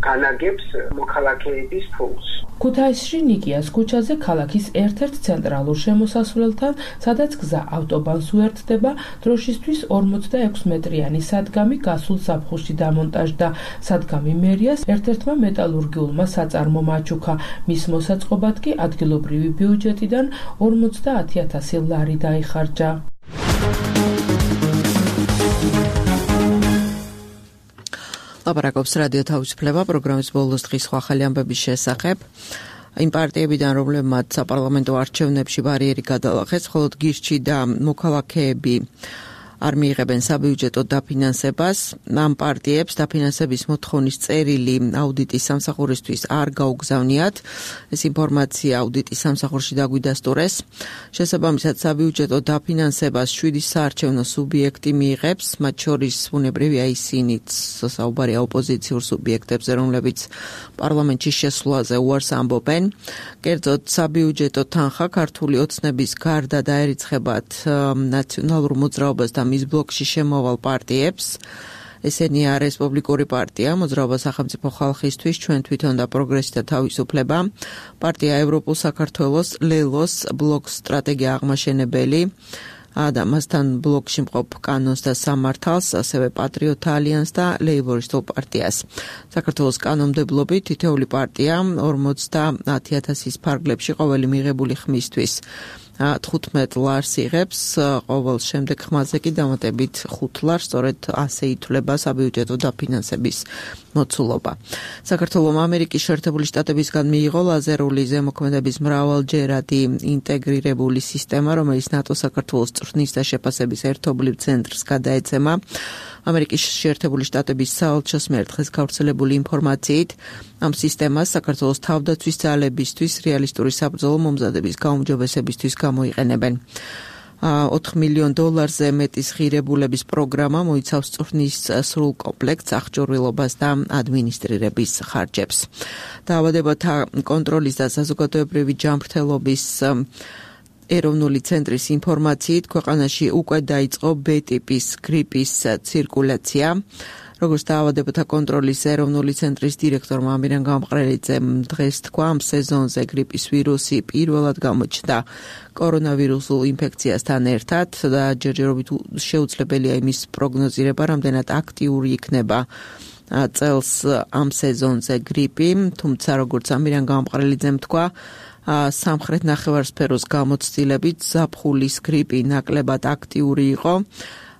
განაგებს მოქალაქეების ფულს. ქუთაისში ნიკიას ქუჩაზე ქალაქის ერთ-ერთ ცენტრალურ შემოსასვლელთან, სადაც გზა ავტობანს უერთდება, დროშისთვის ორმოცდაექვსი მეტრიანი სადგამი გასულ ზაფხულში დამონტაჟდა. სადგამი მერიას ერთ-ერთმა მეტალურგიულმა საწარმომ აჩუქა. მის მოსაწყობად კი ადგილობრივი ბიუჯეტიდან ორმოცდაათი ათასი ლარი დაიხარჯა. ლაპარაკობს რადიო თავისუფლება პროგრამის ბოლოს დღის ახალი ამბების შესახებ. იმ პარტიებიდან, რომლებმაც საპარლამენტო არჩევნებში ბარიერი გადალახეს, მხოლოდ გირჩი და მოქალაქეები არ მიიღებენ საბიუჯეტო დაფინანსებას. ამ პარტიებს დაფინანსების მოთხოვნის წერილი აუდიტის სამსახურისთვის არ გაუგზავნიათ. ეს ინფორმაცია აუდიტის სამსახურში დაგვიდასტურეს. შესაბამისად, საბიუჯეტო დაფინანსებას შვიდი საარჩევნო სუბიექტი მიიღებს, მათ შორის ბუნებრივია ისინიც საუბარია ოპოზიციურ სუბიექტებზე, რომლებიც პარლამენტში შესვლაზე უარს ამბობენ. კერძოდ, საბიუჯეტო თანხა ქართული ოცნების გარდა დაერიცხებათ ნაციონალურ მოძრაობას და მის ბლოკში შემოვალ პარტიებს. ესენია რესპუბლიკური პარტია, მოძრაობა სახელმწიფო ხალხისთვის, ჩვენ თვითონ და პროგრესი და თავისუფლება, პარტია ევროპულ საქართველოს, ლელოს, ბლოკ სტრატეგია აღმაშენებელი და მასთან ბლოკში მყოფ კანონს და სამართალს, ასევე პატრიოტთა ალიანსს და ლეიბორისტულ პარტიას. საქართველოს კანონმდებლობით თითოეული პარტია ორმოცდაათი ათასის ფარგლებში ყოველი მიღებული ხმისთვის თხუთმეტ ლარს იღებს, ყოველ შემდეგ ხმაზე კი დამატებით ხუთ ლარს, სწორედ ასე ითვლება საბიუჯეტო დაფინანსების მოცულობა. საქართველოს ამერიკის შეერთებული შტატებისგან მიიღო ლაზერული ზემოქმედების მრავალჯერადი ინტეგრირებული სისტემა, რომელიც ნატო საქართველოს წვრთნის და შეფასების ერთობლივ ცენტრს გადაეცემა. ამერიკის შეერთებული შტატების საელჩოს მიერ დღეს გავრცელებული ინფორმაციით, ამ სისტემას საქართველოს თავდაცვის ძალებისთვის რეალისტური საბრძოლო მომზადების გაუმჯობესებისთვის გამოიყენებენ. ოთხ მილიონ დოლარზე მეტის ღირებულების პროგრამა მოიცავს წვრთნის სრულ კომპლექტს, აღჭურვილობას და ადმინისტრირების ხარჯებს. დაავადებათა კონტროლის და საზოგადოებრივი ჯანმრთელობის ეროვნული ცენტრის ინფორმაციით, ქვეყანაში უკვე დაიწყო B ტიპის გრიპის ცირკულაცია. როგორც დაავადებათა კონტროლის ეროვნული ცენტრის დირექტორმა ამირან გამყრელიძემ დღეს თქვა, ამ სეზონზე გრიპის ვირუსი პირველად გამოჩნდა კორონავირუსულ ინფექციასთან ერთად და ჯერჯერობით შეუძლებელია იმის პროგნოზირება, რამდენად აქტიური იქნება წელს ამ სეზონზე გრიპი, თუმცა როგორც ამირან გამყრელიძემ თქვა, სამხრეთ ნახევარსფეროს გამოცდილებით ზაფხულის გრიპი ნაკლებად აქტიური იყო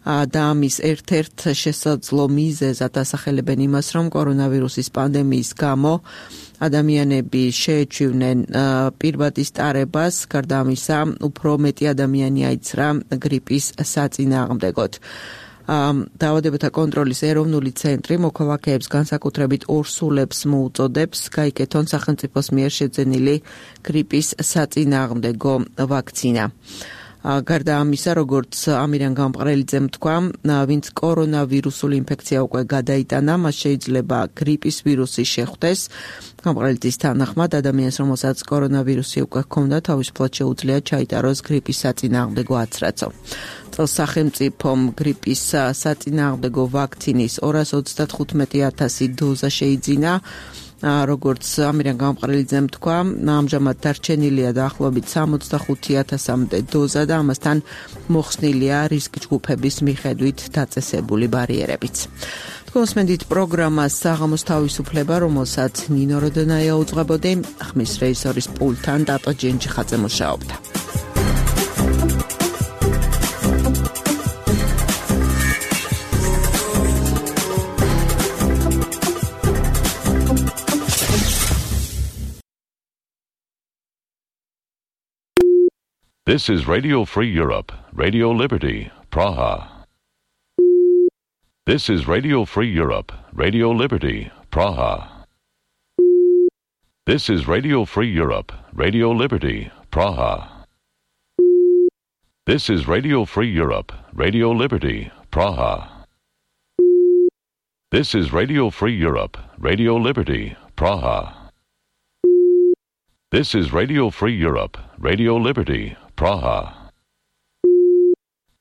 და ამის ერთ-ერთ შესაძლო მიზეზად ასახელებენ იმას, რომ კორონავირუსის პანდემიის გამო ადამიანები შეეჩვივნენ პირბადის ტარებას, გარდა ამისა, უფრო მეტი ადამიანი აიცრა გრიპის საწინააღმდეგოდ. დაავადებათა კონტროლის ეროვნული ცენტრი მოქალაქეებს განსაკუთრებით ორსულებს მოუწოდებს გაიკეთონ სახელმწიფოს მიერ შეძენილი გრიპის საწინააღმდეგო ვაქცინა. გარდა ამისა, როგორც ამირან გამყრელიძემ თქვა, ვინც კორონავირუსული ინფექცია უკვე გადაიტანა, მას შეიძლება გრიპის ვირუსი შეხვდეს. გამყრელიძის თანახმად, ადამიანს, რომელსაც კორონავირუსი უკვე ჰქონდა, თავისუფლად შეუძლია ჩაიტაროს გრიპის საწინააღმდეგო აცრაცო. წელს სახელმწიფომ გრიპის საწინააღმდეგო ვაქცინის ორას ოცდათხუთმეტი ათასი დოზა შეიძინა. როგორც ამირან გამყრელიძემ თქვა, ამჟამად დარჩენილია დაახლოებით სამოცდახუთი ათასამდე დოზა და ამასთან მოხსნილია რისკ ჯგუფების მიხედვით დაწესებული ბარიერებიც. Თქვენსმენდით პროგრამას საღამოს თავისუფლება, რომელსაც ნინო როდენაია უძღვებოდი, ხმის რეჟისორის პულტთან დატო ჯენჯიხაძე მუშაობდა. This is Radio Free Europe, Radio Liberty, Praha. This is Radio Free Europe, Radio Liberty, Praha. This is Radio Free Europe, Radio Liberty, Praha. This is Radio Free Europe, Radio Liberty, Praha. This is Radio Free Europe, Radio Liberty, Praha. This is Radio Free Europe, Radio Liberty, Praha.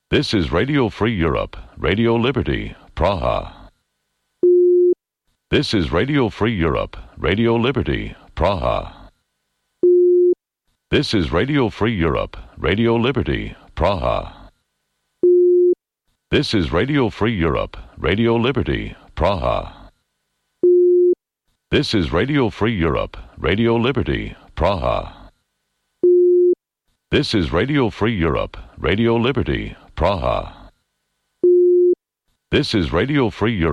This is Radio Free Europe, Radio Liberty, Praha. This is Radio Free Europe, Radio Liberty, Praha. This is Radio Free Europe, Radio Liberty, Praha. This is Radio Free Europe, Radio Liberty, Praha. This is Radio Free Europe, Radio Liberty, Praha. This is Radio Free Europe, Radio Liberty, Praha. This is Radio Free Europe,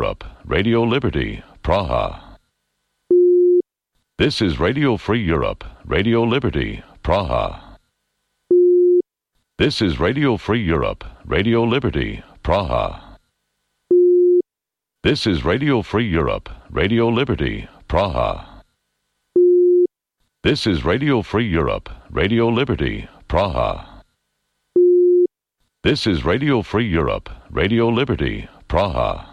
Radio Liberty, Praha. This is Radio Free Europe, Radio Liberty, Praha. This is Radio Free Europe, Radio Liberty, Praha. This is Radio Free Europe, Radio Liberty, Praha. This is Radio Free Europe, Radio Liberty, Praha.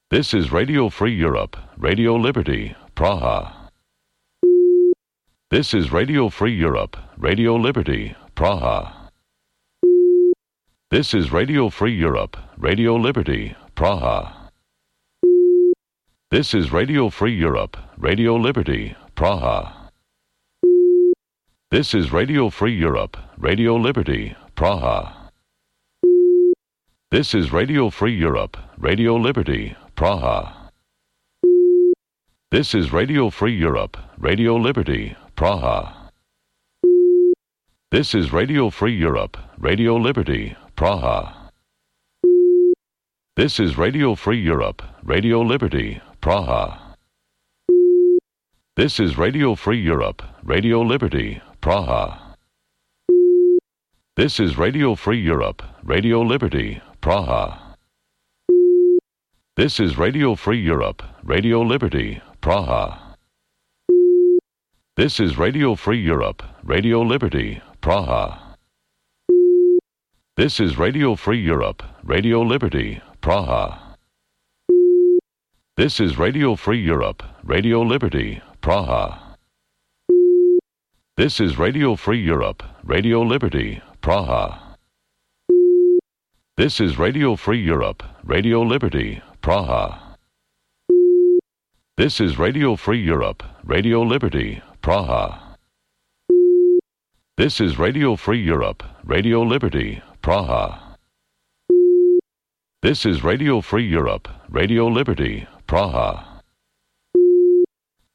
This is Radio Free Europe, Radio Liberty, Praha. This is Radio Free Europe, Radio Liberty, Praha. This is Radio Free Europe, Radio Liberty, Praha. This is Radio Free Europe, Radio Liberty, Praha. This is Radio Free Europe, Radio Liberty, Praha. This is Radio Free Europe, Radio Liberty, Praha. This is Radio Free Europe, Radio Liberty, Praha. This is Radio Free Europe, Radio Liberty, Praha. This is Radio Free Europe, Radio Liberty, Praha. This is Radio Free Europe, Radio Liberty, Praha. This is Radio Free Europe, Radio Liberty, Praha. This is Radio Free Europe, Radio Liberty, Praha. This is Radio Free Europe, Radio Liberty, Praha. This is Radio Free Europe, Radio Liberty, Praha. This is Radio Free Europe, Radio Liberty, Praha. This is Radio Free Europe, Radio Liberty, Praha. This is Radio Free Europe, Radio Liberty, Praha. This is Radio Free Europe, Radio Liberty, Praha. This is Radio Free Europe, Radio Liberty, Praha. This is Radio Free Europe, Radio Liberty, Praha. This is Radio Free Europe, Radio Liberty, Praha.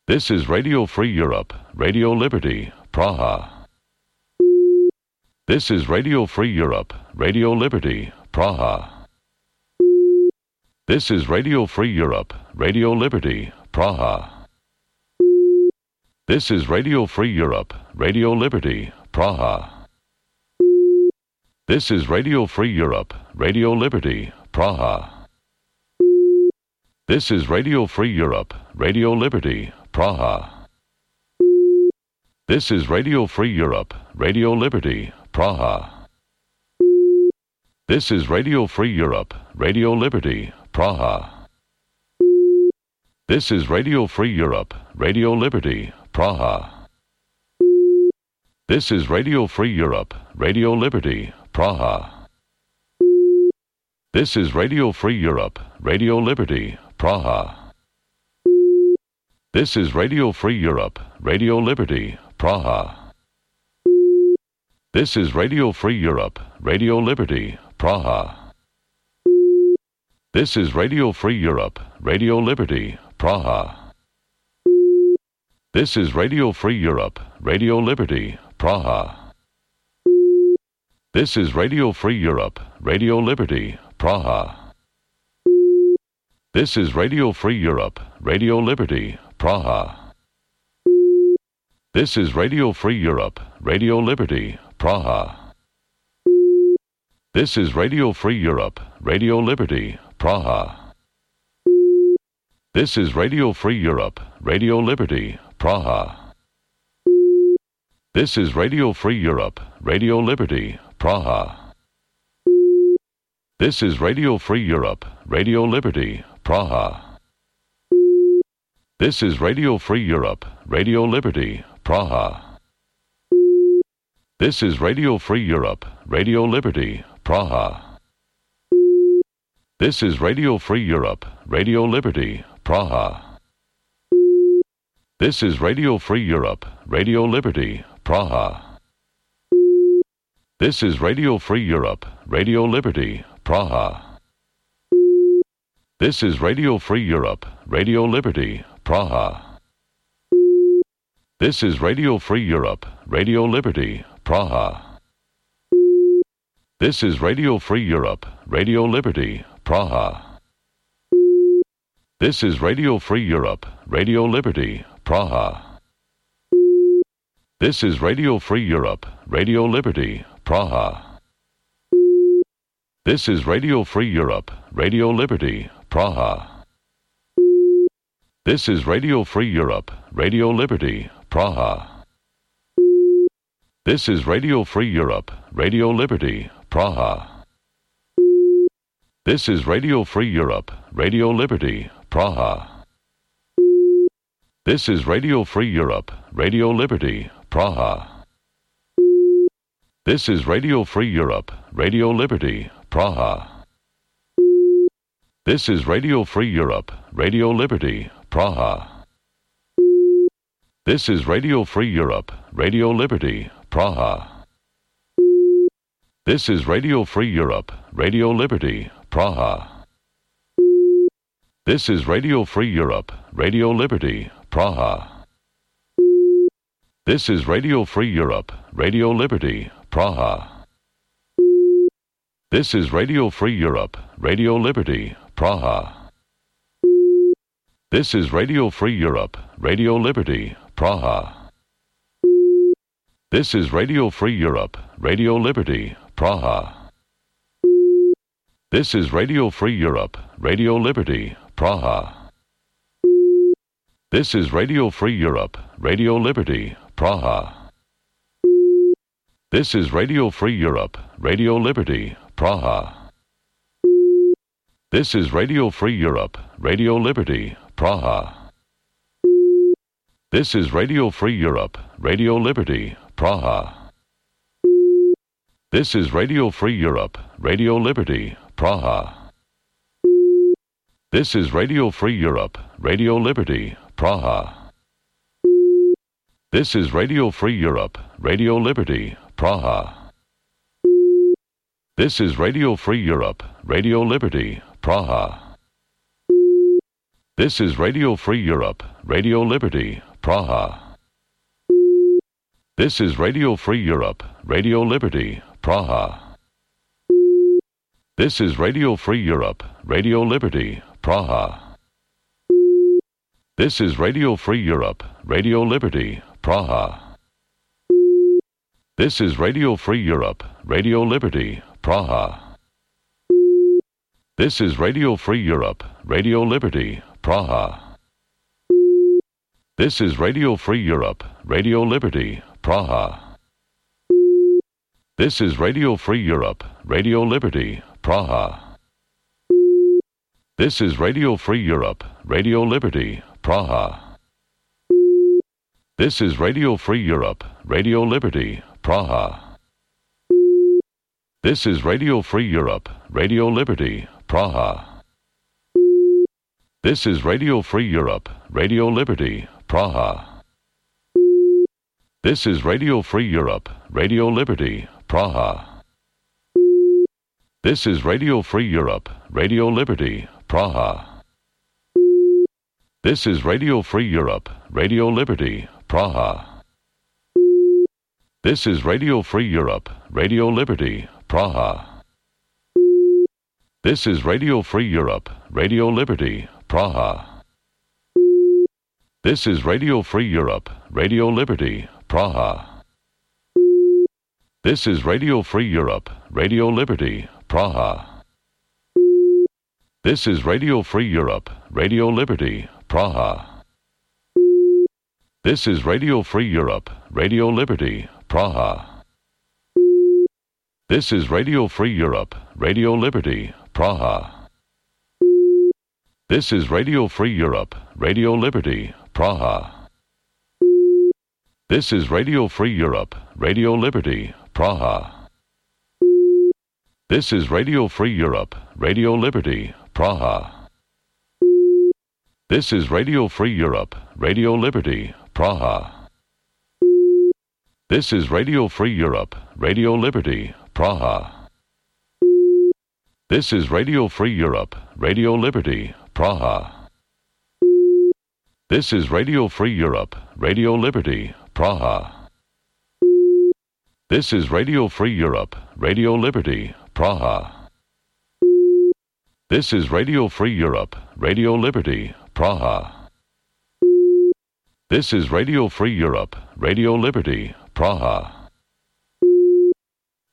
This is Radio Free Europe, Radio Liberty, Praha. This is Radio Free Europe, Radio Liberty, Praha. This is Radio Free Europe, Radio Liberty, Praha. This is Radio Free Europe, Radio Liberty, Praha. This is Radio Free Europe, Radio Liberty, Praha. This is Radio Free Europe, Radio Liberty, Praha. This is Radio Free Europe, Radio Liberty, Praha. This is Radio Free Europe, Radio Liberty, Praha. This is Radio Free Europe, Radio Liberty, Praha. This is Radio Free Europe, Radio Liberty, Praha. This is Radio Free Europe, Radio Liberty, Praha. This is Radio Free Europe, Radio Liberty, Praha. This is Radio Free Europe, Radio Liberty, Praha. This is Radio Free Europe, Radio Liberty, Praha. This is Radio Free Europe, Radio Liberty, Praha. This is Radio Free Europe, Radio Liberty, Praha. This is Radio Free Europe, Radio Liberty, Praha. This is Radio Free Europe, Radio Liberty, Praha. This is Radio Free Europe, Radio Liberty, Praha. This is Radio Free Europe, Radio Liberty, Praha. This is Radio Free Europe, Radio Liberty, Praha. This is Radio Free Europe, Radio Liberty, Praha. This is Radio Free Europe, Radio Liberty, Praha. This is Radio Free Europe, Radio Liberty, Praha. This is Radio Free Europe, Radio Liberty, Praha. This is Radio Free Europe, Radio Liberty, Praha. This is Radio Free Europe, Radio Liberty, Praha. This is Radio Free Europe, Radio Liberty, Praha. This is Radio Free Europe, Radio Liberty, Praha. This is Radio Free Europe, Radio Liberty, Praha. This is Radio Free Europe, Radio Liberty, Praha. This is Radio Free Europe, Radio Liberty, Praha. This is Radio Free Europe, Radio Liberty, Praha. This is Radio Free Europe, Radio Liberty, Praha. This is Radio Free Europe, Radio Liberty, Praha. This is Radio Free Europe, Radio Liberty, Praha. This is Radio Free Europe, Radio Liberty, Praha. This is Radio Free Europe, Radio Liberty, Praha. This is Radio Free Europe, Radio Liberty, Praha. This is Radio Free Europe, Radio Liberty, Praha. This is Radio Free Europe, Radio Liberty, Praha. This is Radio Free Europe, Radio Liberty, Praha. This is Radio Free Europe, Radio Liberty, Praha. This is Radio Free Europe, Radio Liberty, Praha. This is Radio Free Europe, Radio Liberty, Praha. This is Radio Free Europe, Radio Liberty, Praha. This is Radio Free Europe, Radio Liberty, Praha. This is Radio Free Europe, Radio Liberty, Praha. This is Radio Free Europe, Radio Liberty, Praha. This is Radio Free Europe, Radio Liberty, Praha. This is Radio Free Europe, Radio Liberty, Praha. This is Radio Free Europe, Radio Liberty, Praha. This is Radio Free Europe, Radio Liberty, Praha. This is Radio Free Europe, Radio Liberty, Praha. This is Radio Free Europe, Radio Liberty, Praha. This is Radio Free Europe, Radio Liberty, Praha. This is Radio Free Europe, Radio Liberty, Praha. This is Radio Free Europe, Radio Liberty, Praha. This is Radio Free Europe, Radio Liberty, Praha. This is Radio Free Europe, Radio Liberty, Praha. This is Radio Free Europe, Radio Liberty, Praha. This is Radio Free Europe, Radio Liberty, Praha. This is Radio Free Europe, Radio Liberty, Praha. This is Radio Free Europe, Radio Liberty, Praha. This is Radio Free Europe, Radio Liberty, Praha. This is Radio Free Europe, Radio Liberty, Praha. This is Radio Free Europe, Radio Liberty, Praha. This is Radio Free Europe, Radio Liberty, Praha. This is Radio Free Europe, Radio Liberty, Praha. This is Radio Free Europe, Radio Liberty, Praha. This is Radio Free Europe, Radio Liberty, Praha. This is Radio Free Europe, Radio Liberty, Praha. This is Radio Free Europe, Radio Liberty, Praha. This is Radio Free Europe, Radio Liberty, Praha. This is Radio Free Europe, Radio Liberty, Praha. This is Radio Free Europe, Radio Liberty, Praha. This is Radio Free Europe, Radio Liberty, Praha. This is Radio Free Europe, Radio Liberty, Praha. This is Radio Free Europe, Radio Liberty, Praha. This is Radio Free Europe, Radio Liberty, Praha. This is Radio Free Europe, Radio Liberty, Praha. This is Radio Free Europe, Radio Liberty, Praha. This is Radio Free Europe, Radio Liberty, Praha. This is Radio Free Europe, Radio Liberty, Praha. This is Radio Free Europe, Radio Liberty, Praha. This is Radio Free Europe, Radio Liberty, Praha. This is Radio Free Europe, Radio Liberty, Praha.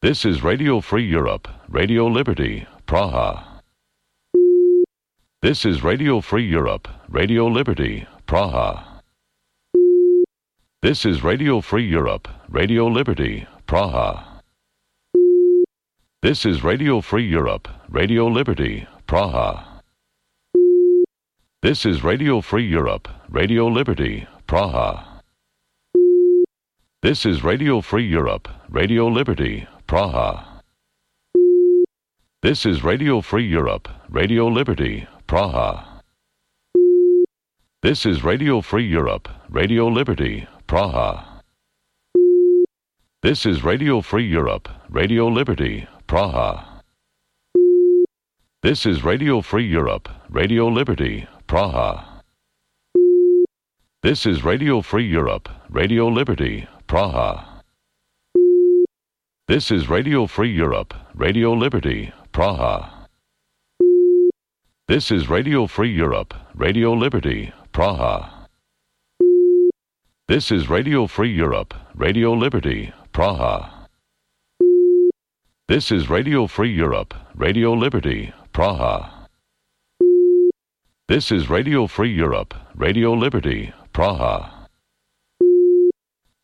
This is Radio Free Europe, Radio Liberty, Praha. This is Radio Free Europe, Radio Liberty, Praha. This is Radio Free Europe, Radio Liberty, Praha. This is Radio Free Europe, Radio Liberty, Praha. This is Radio Free Europe, Radio Liberty, Praha. This is Radio Free Europe, Radio Liberty, Praha. This is Radio Free Europe, Radio Liberty, Praha. This is Radio Free Europe, Radio Liberty, Praha. This is Radio Free Europe, Radio Liberty, Praha. This is Radio Free Europe, Radio Liberty, Praha. This is Radio Free Europe, Radio Liberty, Praha. This is Radio Free Europe, Radio Liberty, Praha. This is Radio Free Europe, Radio Liberty, Praha. This is Radio Free Europe, Radio Liberty, Praha. This is Radio Free Europe, Radio Liberty, Praha. This is Radio Free Europe, Radio Liberty, Praha.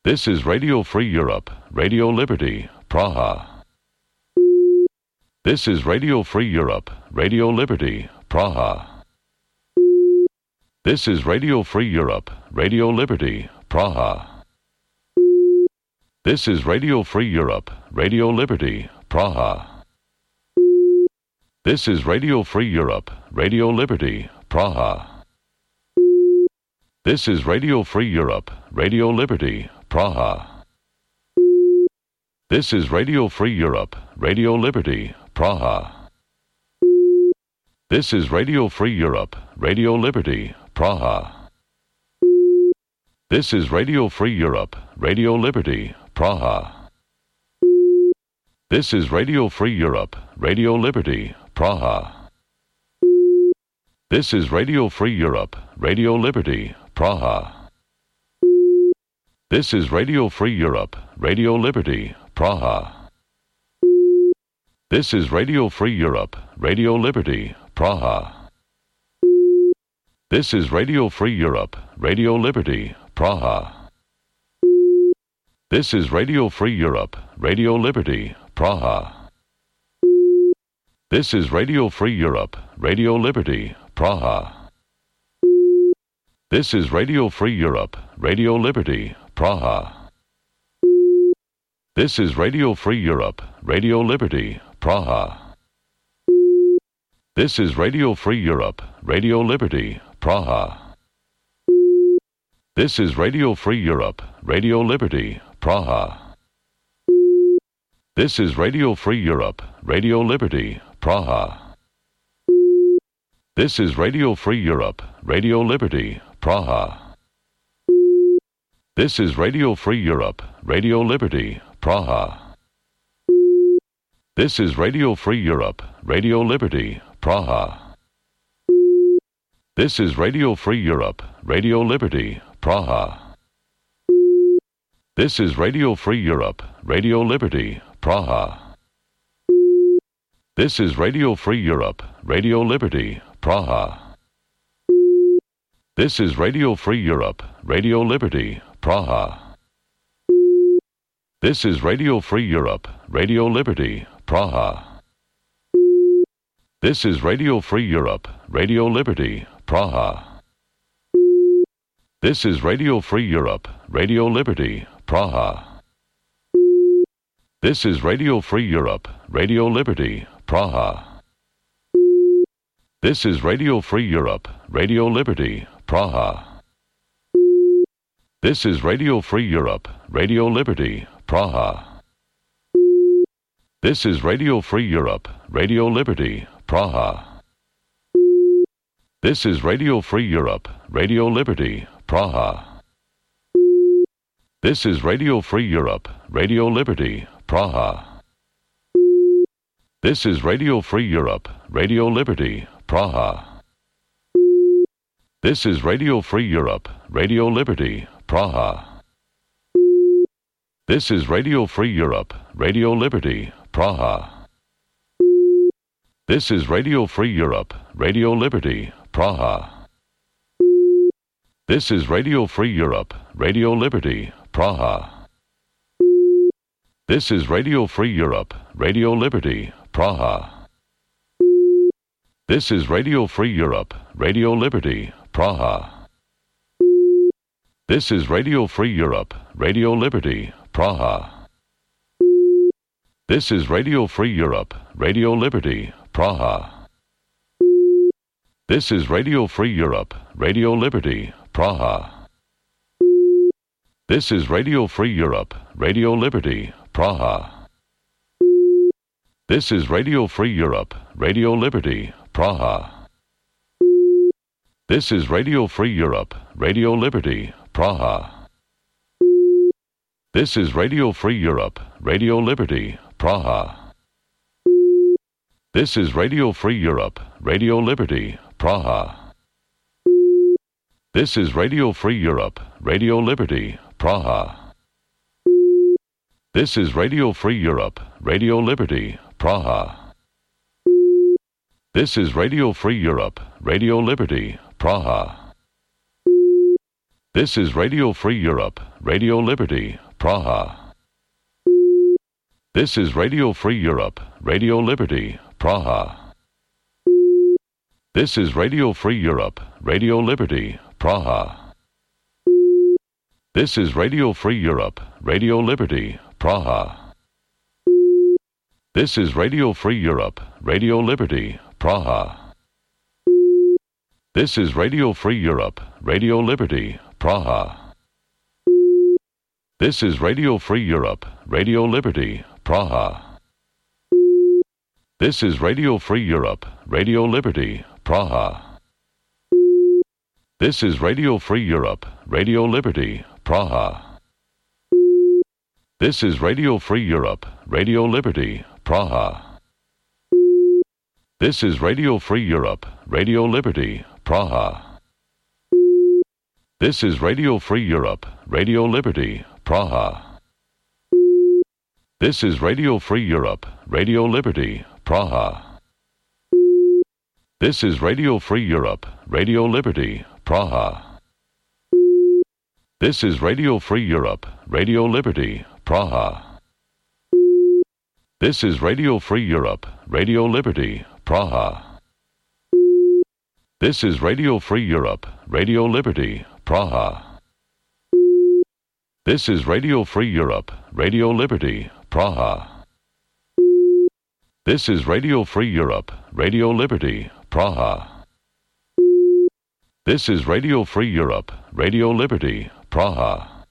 This is Radio Free Europe, Radio Liberty, Praha. This is Radio Free Europe, Radio Liberty, Praha. This is Radio Free Europe, Radio Liberty, Praha. This is Radio Free Europe, Radio Liberty, Praha. This is Radio Free Europe, Radio Liberty, Praha. This is Radio Free Europe, Radio Liberty, Praha. This is Radio Free Europe, Radio Liberty, Praha. This is Radio Free Europe, Radio Liberty, Praha. This is Radio Free Europe, Radio Liberty, Praha. This is Radio Free Europe, Radio Liberty, Praha. This is Radio Free Europe, Radio Liberty, Praha. This is Radio Free Europe, Radio Liberty, Praha. This is Radio Free Europe, Radio Liberty, Praha. This is Radio Free Europe, Radio Liberty, Praha. This is Radio Free Europe, Radio Liberty, Praha. This is Radio Free Europe, Radio Liberty, Praha. This is Radio Free Europe, Radio Liberty, Praha. This is Radio Free Europe, Radio Liberty, Praha. This is Radio Free Europe, Radio Liberty, Praha. This is Radio Free Europe, Radio Liberty, Praha. This is Radio Free Europe, Radio Liberty, Praha. This is Radio Free Europe, Radio Liberty, Praha. This is Radio Free Europe, Radio Liberty, Praha. This is Radio Free Europe, Radio Liberty, Praha. This is Radio Free Europe, Radio Liberty, Praha. This is Radio Free Europe, Radio Liberty, Praha. This is Radio Free Europe, Radio Liberty, Praha. This is Radio Free Europe, Radio Liberty, Praha. This is Radio Free Europe, Radio Liberty, Praha. This is Radio Free Europe, Radio Liberty, Praha. This is Radio Free Europe, Radio Liberty, Praha. This is Radio Free Europe, Radio Liberty, Praha. This is Radio Free Europe, Radio Liberty, Praha. This is Radio Free Europe, Radio Liberty, Praha. This is Radio Free Europe, Radio Liberty, Praha. This is Radio Free Europe, Radio Liberty, Praha. This is Radio Free Europe, Radio Liberty, Praha. This is Radio Free Europe, Radio Liberty, Praha. This is Radio Free Europe, Radio Liberty, Praha. This is Radio Free Europe, Radio Liberty, Praha. This is Radio Free Europe, Radio Liberty, Praha. This is Radio Free Europe, Radio Liberty, Praha. This is Radio Free Europe, Radio Liberty, Praha. This is Radio Free Europe, Radio Liberty, Praha. This is Radio Free Europe, Radio Liberty, Praha. This is Radio Free Europe, Radio Liberty, Praha. This is Radio Free Europe, Radio Liberty, Praha. This is Radio Free Europe, Radio Liberty, Praha. This is Radio Free Europe, Radio Liberty, Praha. This is Radio Free Europe, Radio Liberty, Praha. This is Radio Free Europe, Radio Liberty, Praha. This is Radio Free Europe, Radio Liberty, Praha. This is Radio Free Europe, Radio Liberty, Praha. This is Radio Free Europe, Radio Liberty, Praha. This is Radio Free Europe, Radio Liberty, Praha. This is Radio Free Europe, Radio Liberty, Praha. This is Radio Free Europe, Radio Liberty, Praha. This is Radio Free Europe, Radio Liberty, Praha. This is Radio Free Europe, Radio Liberty, Praha. This is Radio Free Europe, Radio Liberty, Praha. This is Radio Free Europe, Radio Liberty, Praha. This is Radio Free Europe, Radio Liberty, Praha. This is Radio Free Europe, Radio Liberty, Praha. This is Radio Free Europe, Radio Liberty, Praha. This is Radio Free Europe, Radio Liberty, Praha. This is Radio Free Europe, Radio Liberty, Praha. This is Radio Free Europe, Radio Liberty, Praha. This is Radio Free Europe, Radio Liberty, Praha. This is Radio Free Europe, Radio Liberty, Praha. This is Radio Free Europe, Radio Liberty, Praha. This is Radio Free Europe, Radio Liberty, Praha. This is Radio Free Europe, Radio Liberty, Praha. This is Radio Free Europe, Radio Liberty, Praha. This is Radio Free Europe, Radio Liberty, Praha. This is Radio Free Europe, Radio Liberty, Praha.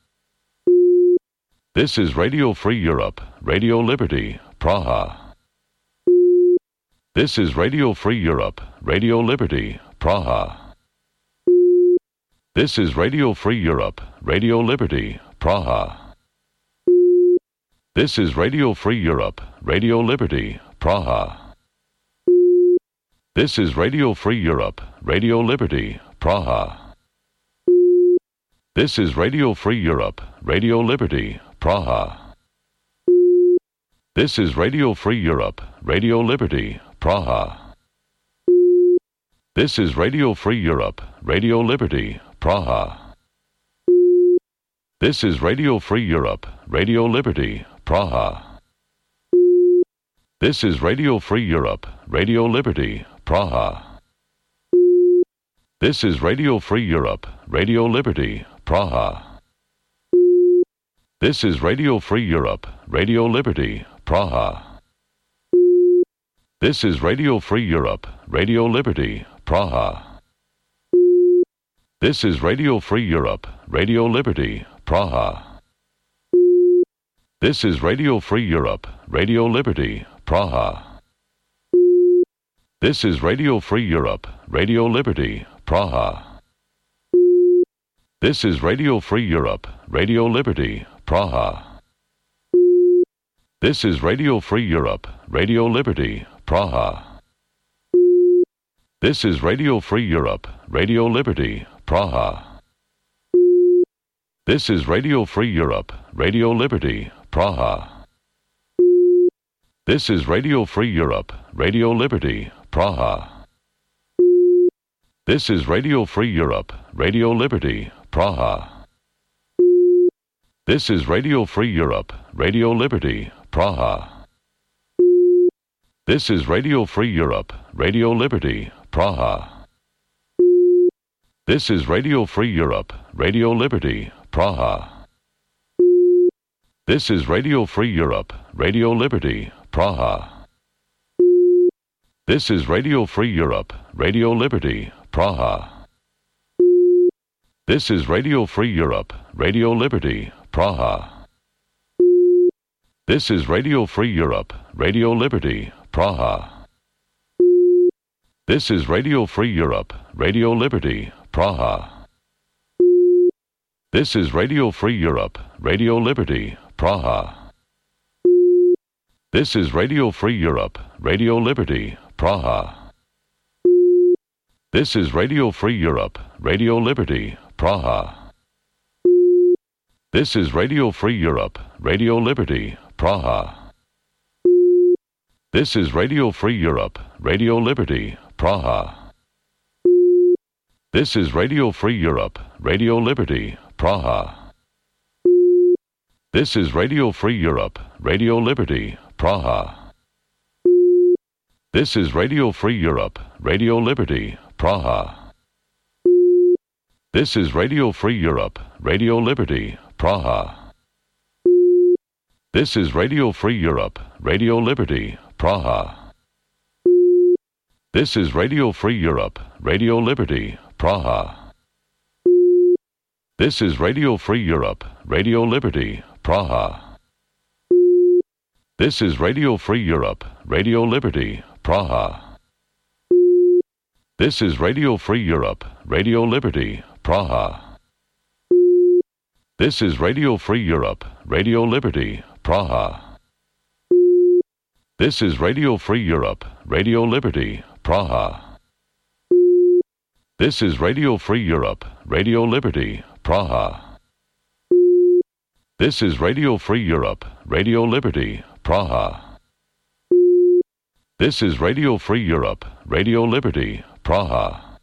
This is Radio Free Europe, Radio Liberty, Praha. This is Radio Free Europe, Radio Liberty, Praha. This is Radio Free Europe, Radio Liberty, Praha. This is Radio Free Europe, Radio Liberty, Praha. This is Radio Free Europe, Radio Liberty, Praha. This is Radio Free Europe, Radio Liberty, Praha. This is Radio Free Europe, Radio Liberty, Praha. This is Radio Free Europe, Radio Liberty, Praha. This is Radio Free Europe, Radio Liberty, Praha. This is Radio Free Europe, Radio Liberty, Praha. This is Radio Free Europe, Radio Liberty, Praha. This is Radio Free Europe, Radio Liberty, Praha. This is Radio Free Europe, Radio Liberty, Praha. This is Radio Free Europe, Radio Liberty, Praha. This is Radio Free Europe, Radio Liberty, Praha. This is Radio Free Europe, Radio Liberty, Praha. This is Radio Free Europe, Radio Liberty, Praha. This is Radio Free Europe, Radio Liberty, Praha. This is Radio Free Europe, Radio Liberty, Praha. This is Radio Free Europe, Radio Liberty, Praha. This is Radio Free Europe, Radio Liberty, Praha. This is Radio Free Europe, Radio Liberty, Praha. This is Radio Free Europe, Radio Liberty, Praha. This is Radio Free Europe, Radio Liberty, Praha. This is Radio Free Europe, Radio Liberty, Praha. This is Radio Free Europe, Radio Liberty, Praha. This is Radio Free Europe, Radio Liberty, Praha. This is Radio Free Europe, Radio Liberty, Praha. This is Radio Free Europe, Radio Liberty, Praha. This is Radio Free Europe, Radio Liberty, Praha. This is Radio Free Europe, Radio Liberty, Praha. This is Radio Free Europe, Radio Liberty, Praha. This is Radio Free Europe, Radio Liberty, Praha. This is Radio Free Europe, Radio Liberty, Praha. This is Radio Free Europe, Radio Liberty, Praha. This is Radio Free Europe, Radio Liberty, Praha. This is Radio Free Europe, Radio Liberty, Praha. This is Radio Free Europe, Radio Liberty, Praha. This is Radio Free Europe, Radio Liberty, Praha. This is Radio Free Europe, Radio Liberty, Praha. This is Radio Free Europe, Radio Liberty, Praha. This is Radio Free Europe, Radio Liberty, Praha. This is Radio Free Europe, Radio Liberty, Praha. This is Radio Free Europe, Radio Liberty, Praha. This is Radio Free Europe, Radio Liberty, Praha. This is Radio Free Europe, Radio Liberty, Praha. This is Radio Free Europe, Radio Liberty, Praha. This is Radio Free Europe, Radio Liberty, Praha. This is Radio Free Europe, Radio Liberty, Praha.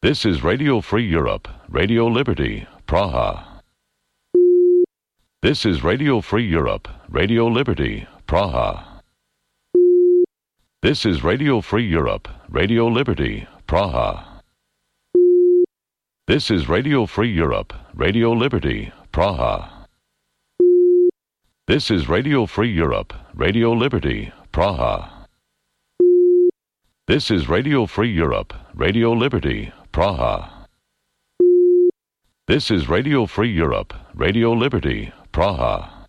This is Radio Free Europe, Radio Liberty, Praha. This is Radio Free Europe, Radio Liberty, Praha. This is Radio Free Europe, Radio Liberty, Praha. This is Radio Free Europe, Radio Liberty, Praha. This is Radio Free Europe, Radio Liberty, Praha. This is Radio Free Europe, Radio Liberty, Praha. This is Radio Free Europe, Radio Liberty, Praha.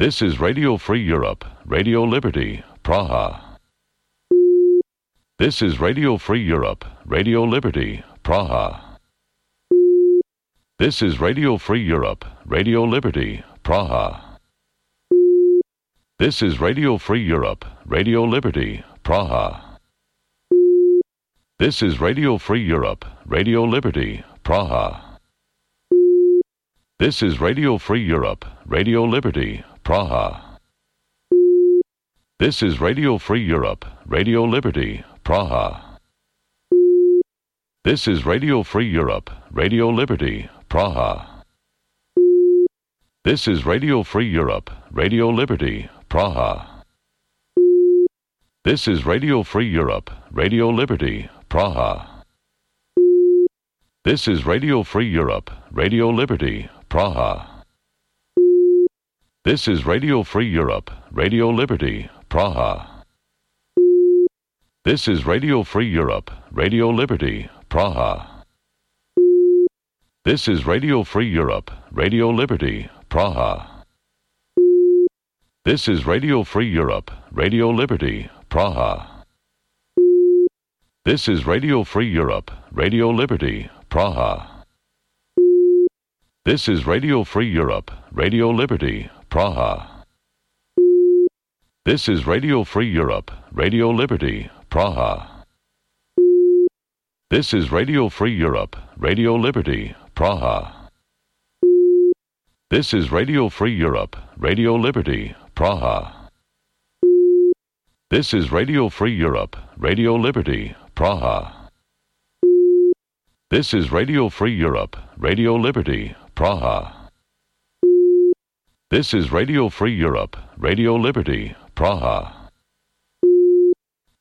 This is Radio Free Europe, Radio Liberty, Praha. This is Radio Free Europe, Radio Liberty, Praha. This is Radio Free Europe, Radio Liberty, Praha. This is Radio Free Europe, Radio Liberty, Praha. This is Radio Free Europe, Radio Liberty, Praha. This is Radio Free Europe, Radio Liberty, Praha. This is Radio Free Europe, Radio Liberty, Praha. This is Radio Free Europe, Radio Liberty, Praha. This is Radio Free Europe, Radio Liberty, Praha. This is Radio Free Europe, Radio Liberty, Praha. This is Radio Free Europe, Radio Liberty, Praha. This is Radio Free Europe, Radio Liberty, Praha. This is Radio Free Europe, Radio Liberty, Praha. This is Radio Free Europe, Radio Liberty, Praha. This is Radio Free Europe, Radio Liberty, Praha. This is Radio Free Europe, Radio Liberty, Praha. This is Radio Free Europe, Radio Liberty, Praha. This is Radio Free Europe, Radio Liberty, Praha. This is Radio Free Europe, Radio Liberty, Praha. This is Radio Free Europe, Radio Liberty, Praha. This is Radio Free Europe, Radio Liberty, Praha. This is Radio Free Europe, Radio Liberty, Praha. This is Radio Free Europe, Radio Liberty, Praha.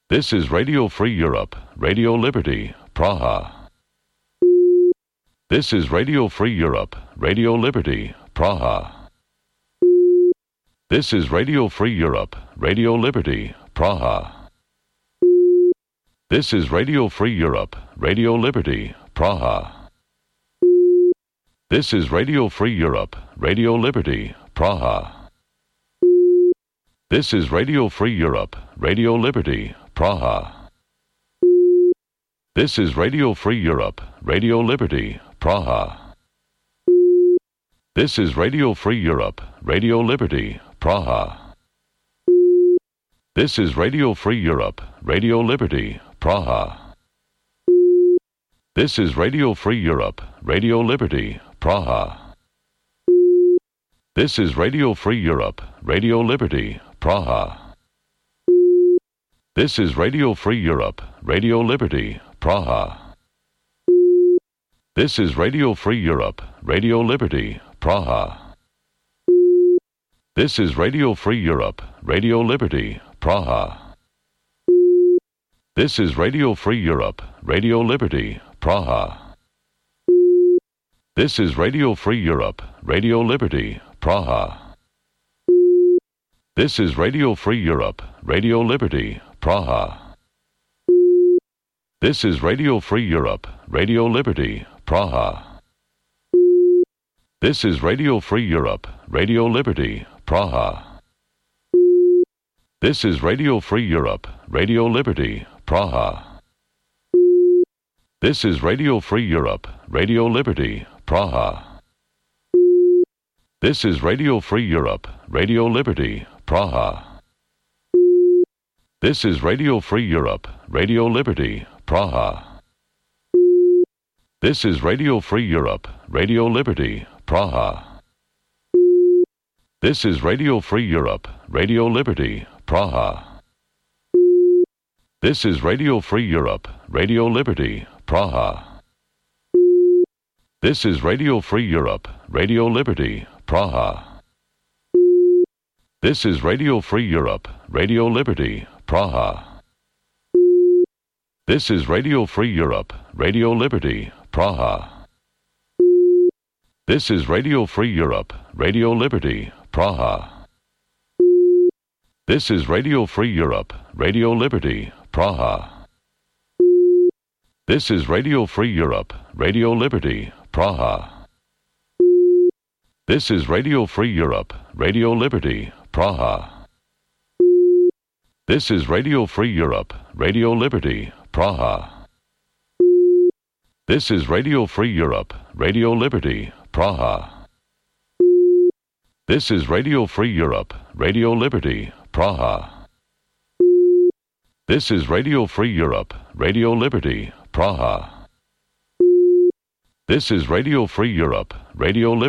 This is Radio Free Europe, Radio Liberty, Praha. This is Radio Free Europe, Radio Liberty, Praha. This is Radio Free Europe, Radio Liberty, Praha. This is Radio Free Europe, Radio Liberty, Praha. This is Radio Free Europe, Radio Liberty, Praha. This is Radio Free Europe, Radio Liberty, Praha. This is Radio Free Europe, Radio Liberty, Praha. This is Radio Free Europe, Radio Liberty, Praha. This is Radio Free Europe, Radio Liberty, Praha. This is Radio Free Europe, Radio Liberty, Praha. This is Radio Free Europe, Radio Liberty, Praha. This is Radio Free Europe, Radio Liberty, Praha. This is Radio Free Europe, Radio Liberty, Praha. This is Radio Free Europe, Radio Liberty, Praha. This is Radio Free Europe, Radio Liberty, Praha. This is Radio Free Europe, Radio Liberty, Praha. This is Radio Free Europe, Radio Liberty, Praha. This is Radio Free Europe, Radio Liberty, Praha. This is Radio Free Europe, Radio Liberty, Praha. This is Radio Free Europe, Radio Liberty, Praha. This is Radio Free Europe, Radio Liberty, Praha. This is Radio Free Europe, Radio Liberty, Praha. This is Radio Free Europe, Radio Liberty, Praha. This is Radio Free Europe, Radio Liberty, Praha. This is Radio Free Europe, Radio Liberty, Praha. This is Radio Free Europe, Radio Liberty, Praha. This is Radio Free Europe, Radio Liberty, Praha. This is Radio Free Europe, Radio Liberty, Praha. This is Radio Free Europe, Radio Liberty, Praha. This is Radio Free Europe, Radio Liberty, Praha. This is Radio Free Europe, Radio Liberty, Praha. This is Radio Free Europe, Radio Liberty, Praha. This is Radio Free Europe, Radio Liberty, Praha. This is Radio Free Europe, Radio Liberty, Praha. This is Radio Free Europe, Radio Liberty, Praha. This is Radio Free Europe, Radio Liberty, Praha. This is Radio Free Europe, Radio Liberty, Praha. This is Radio Free Europe, Radio Liberty.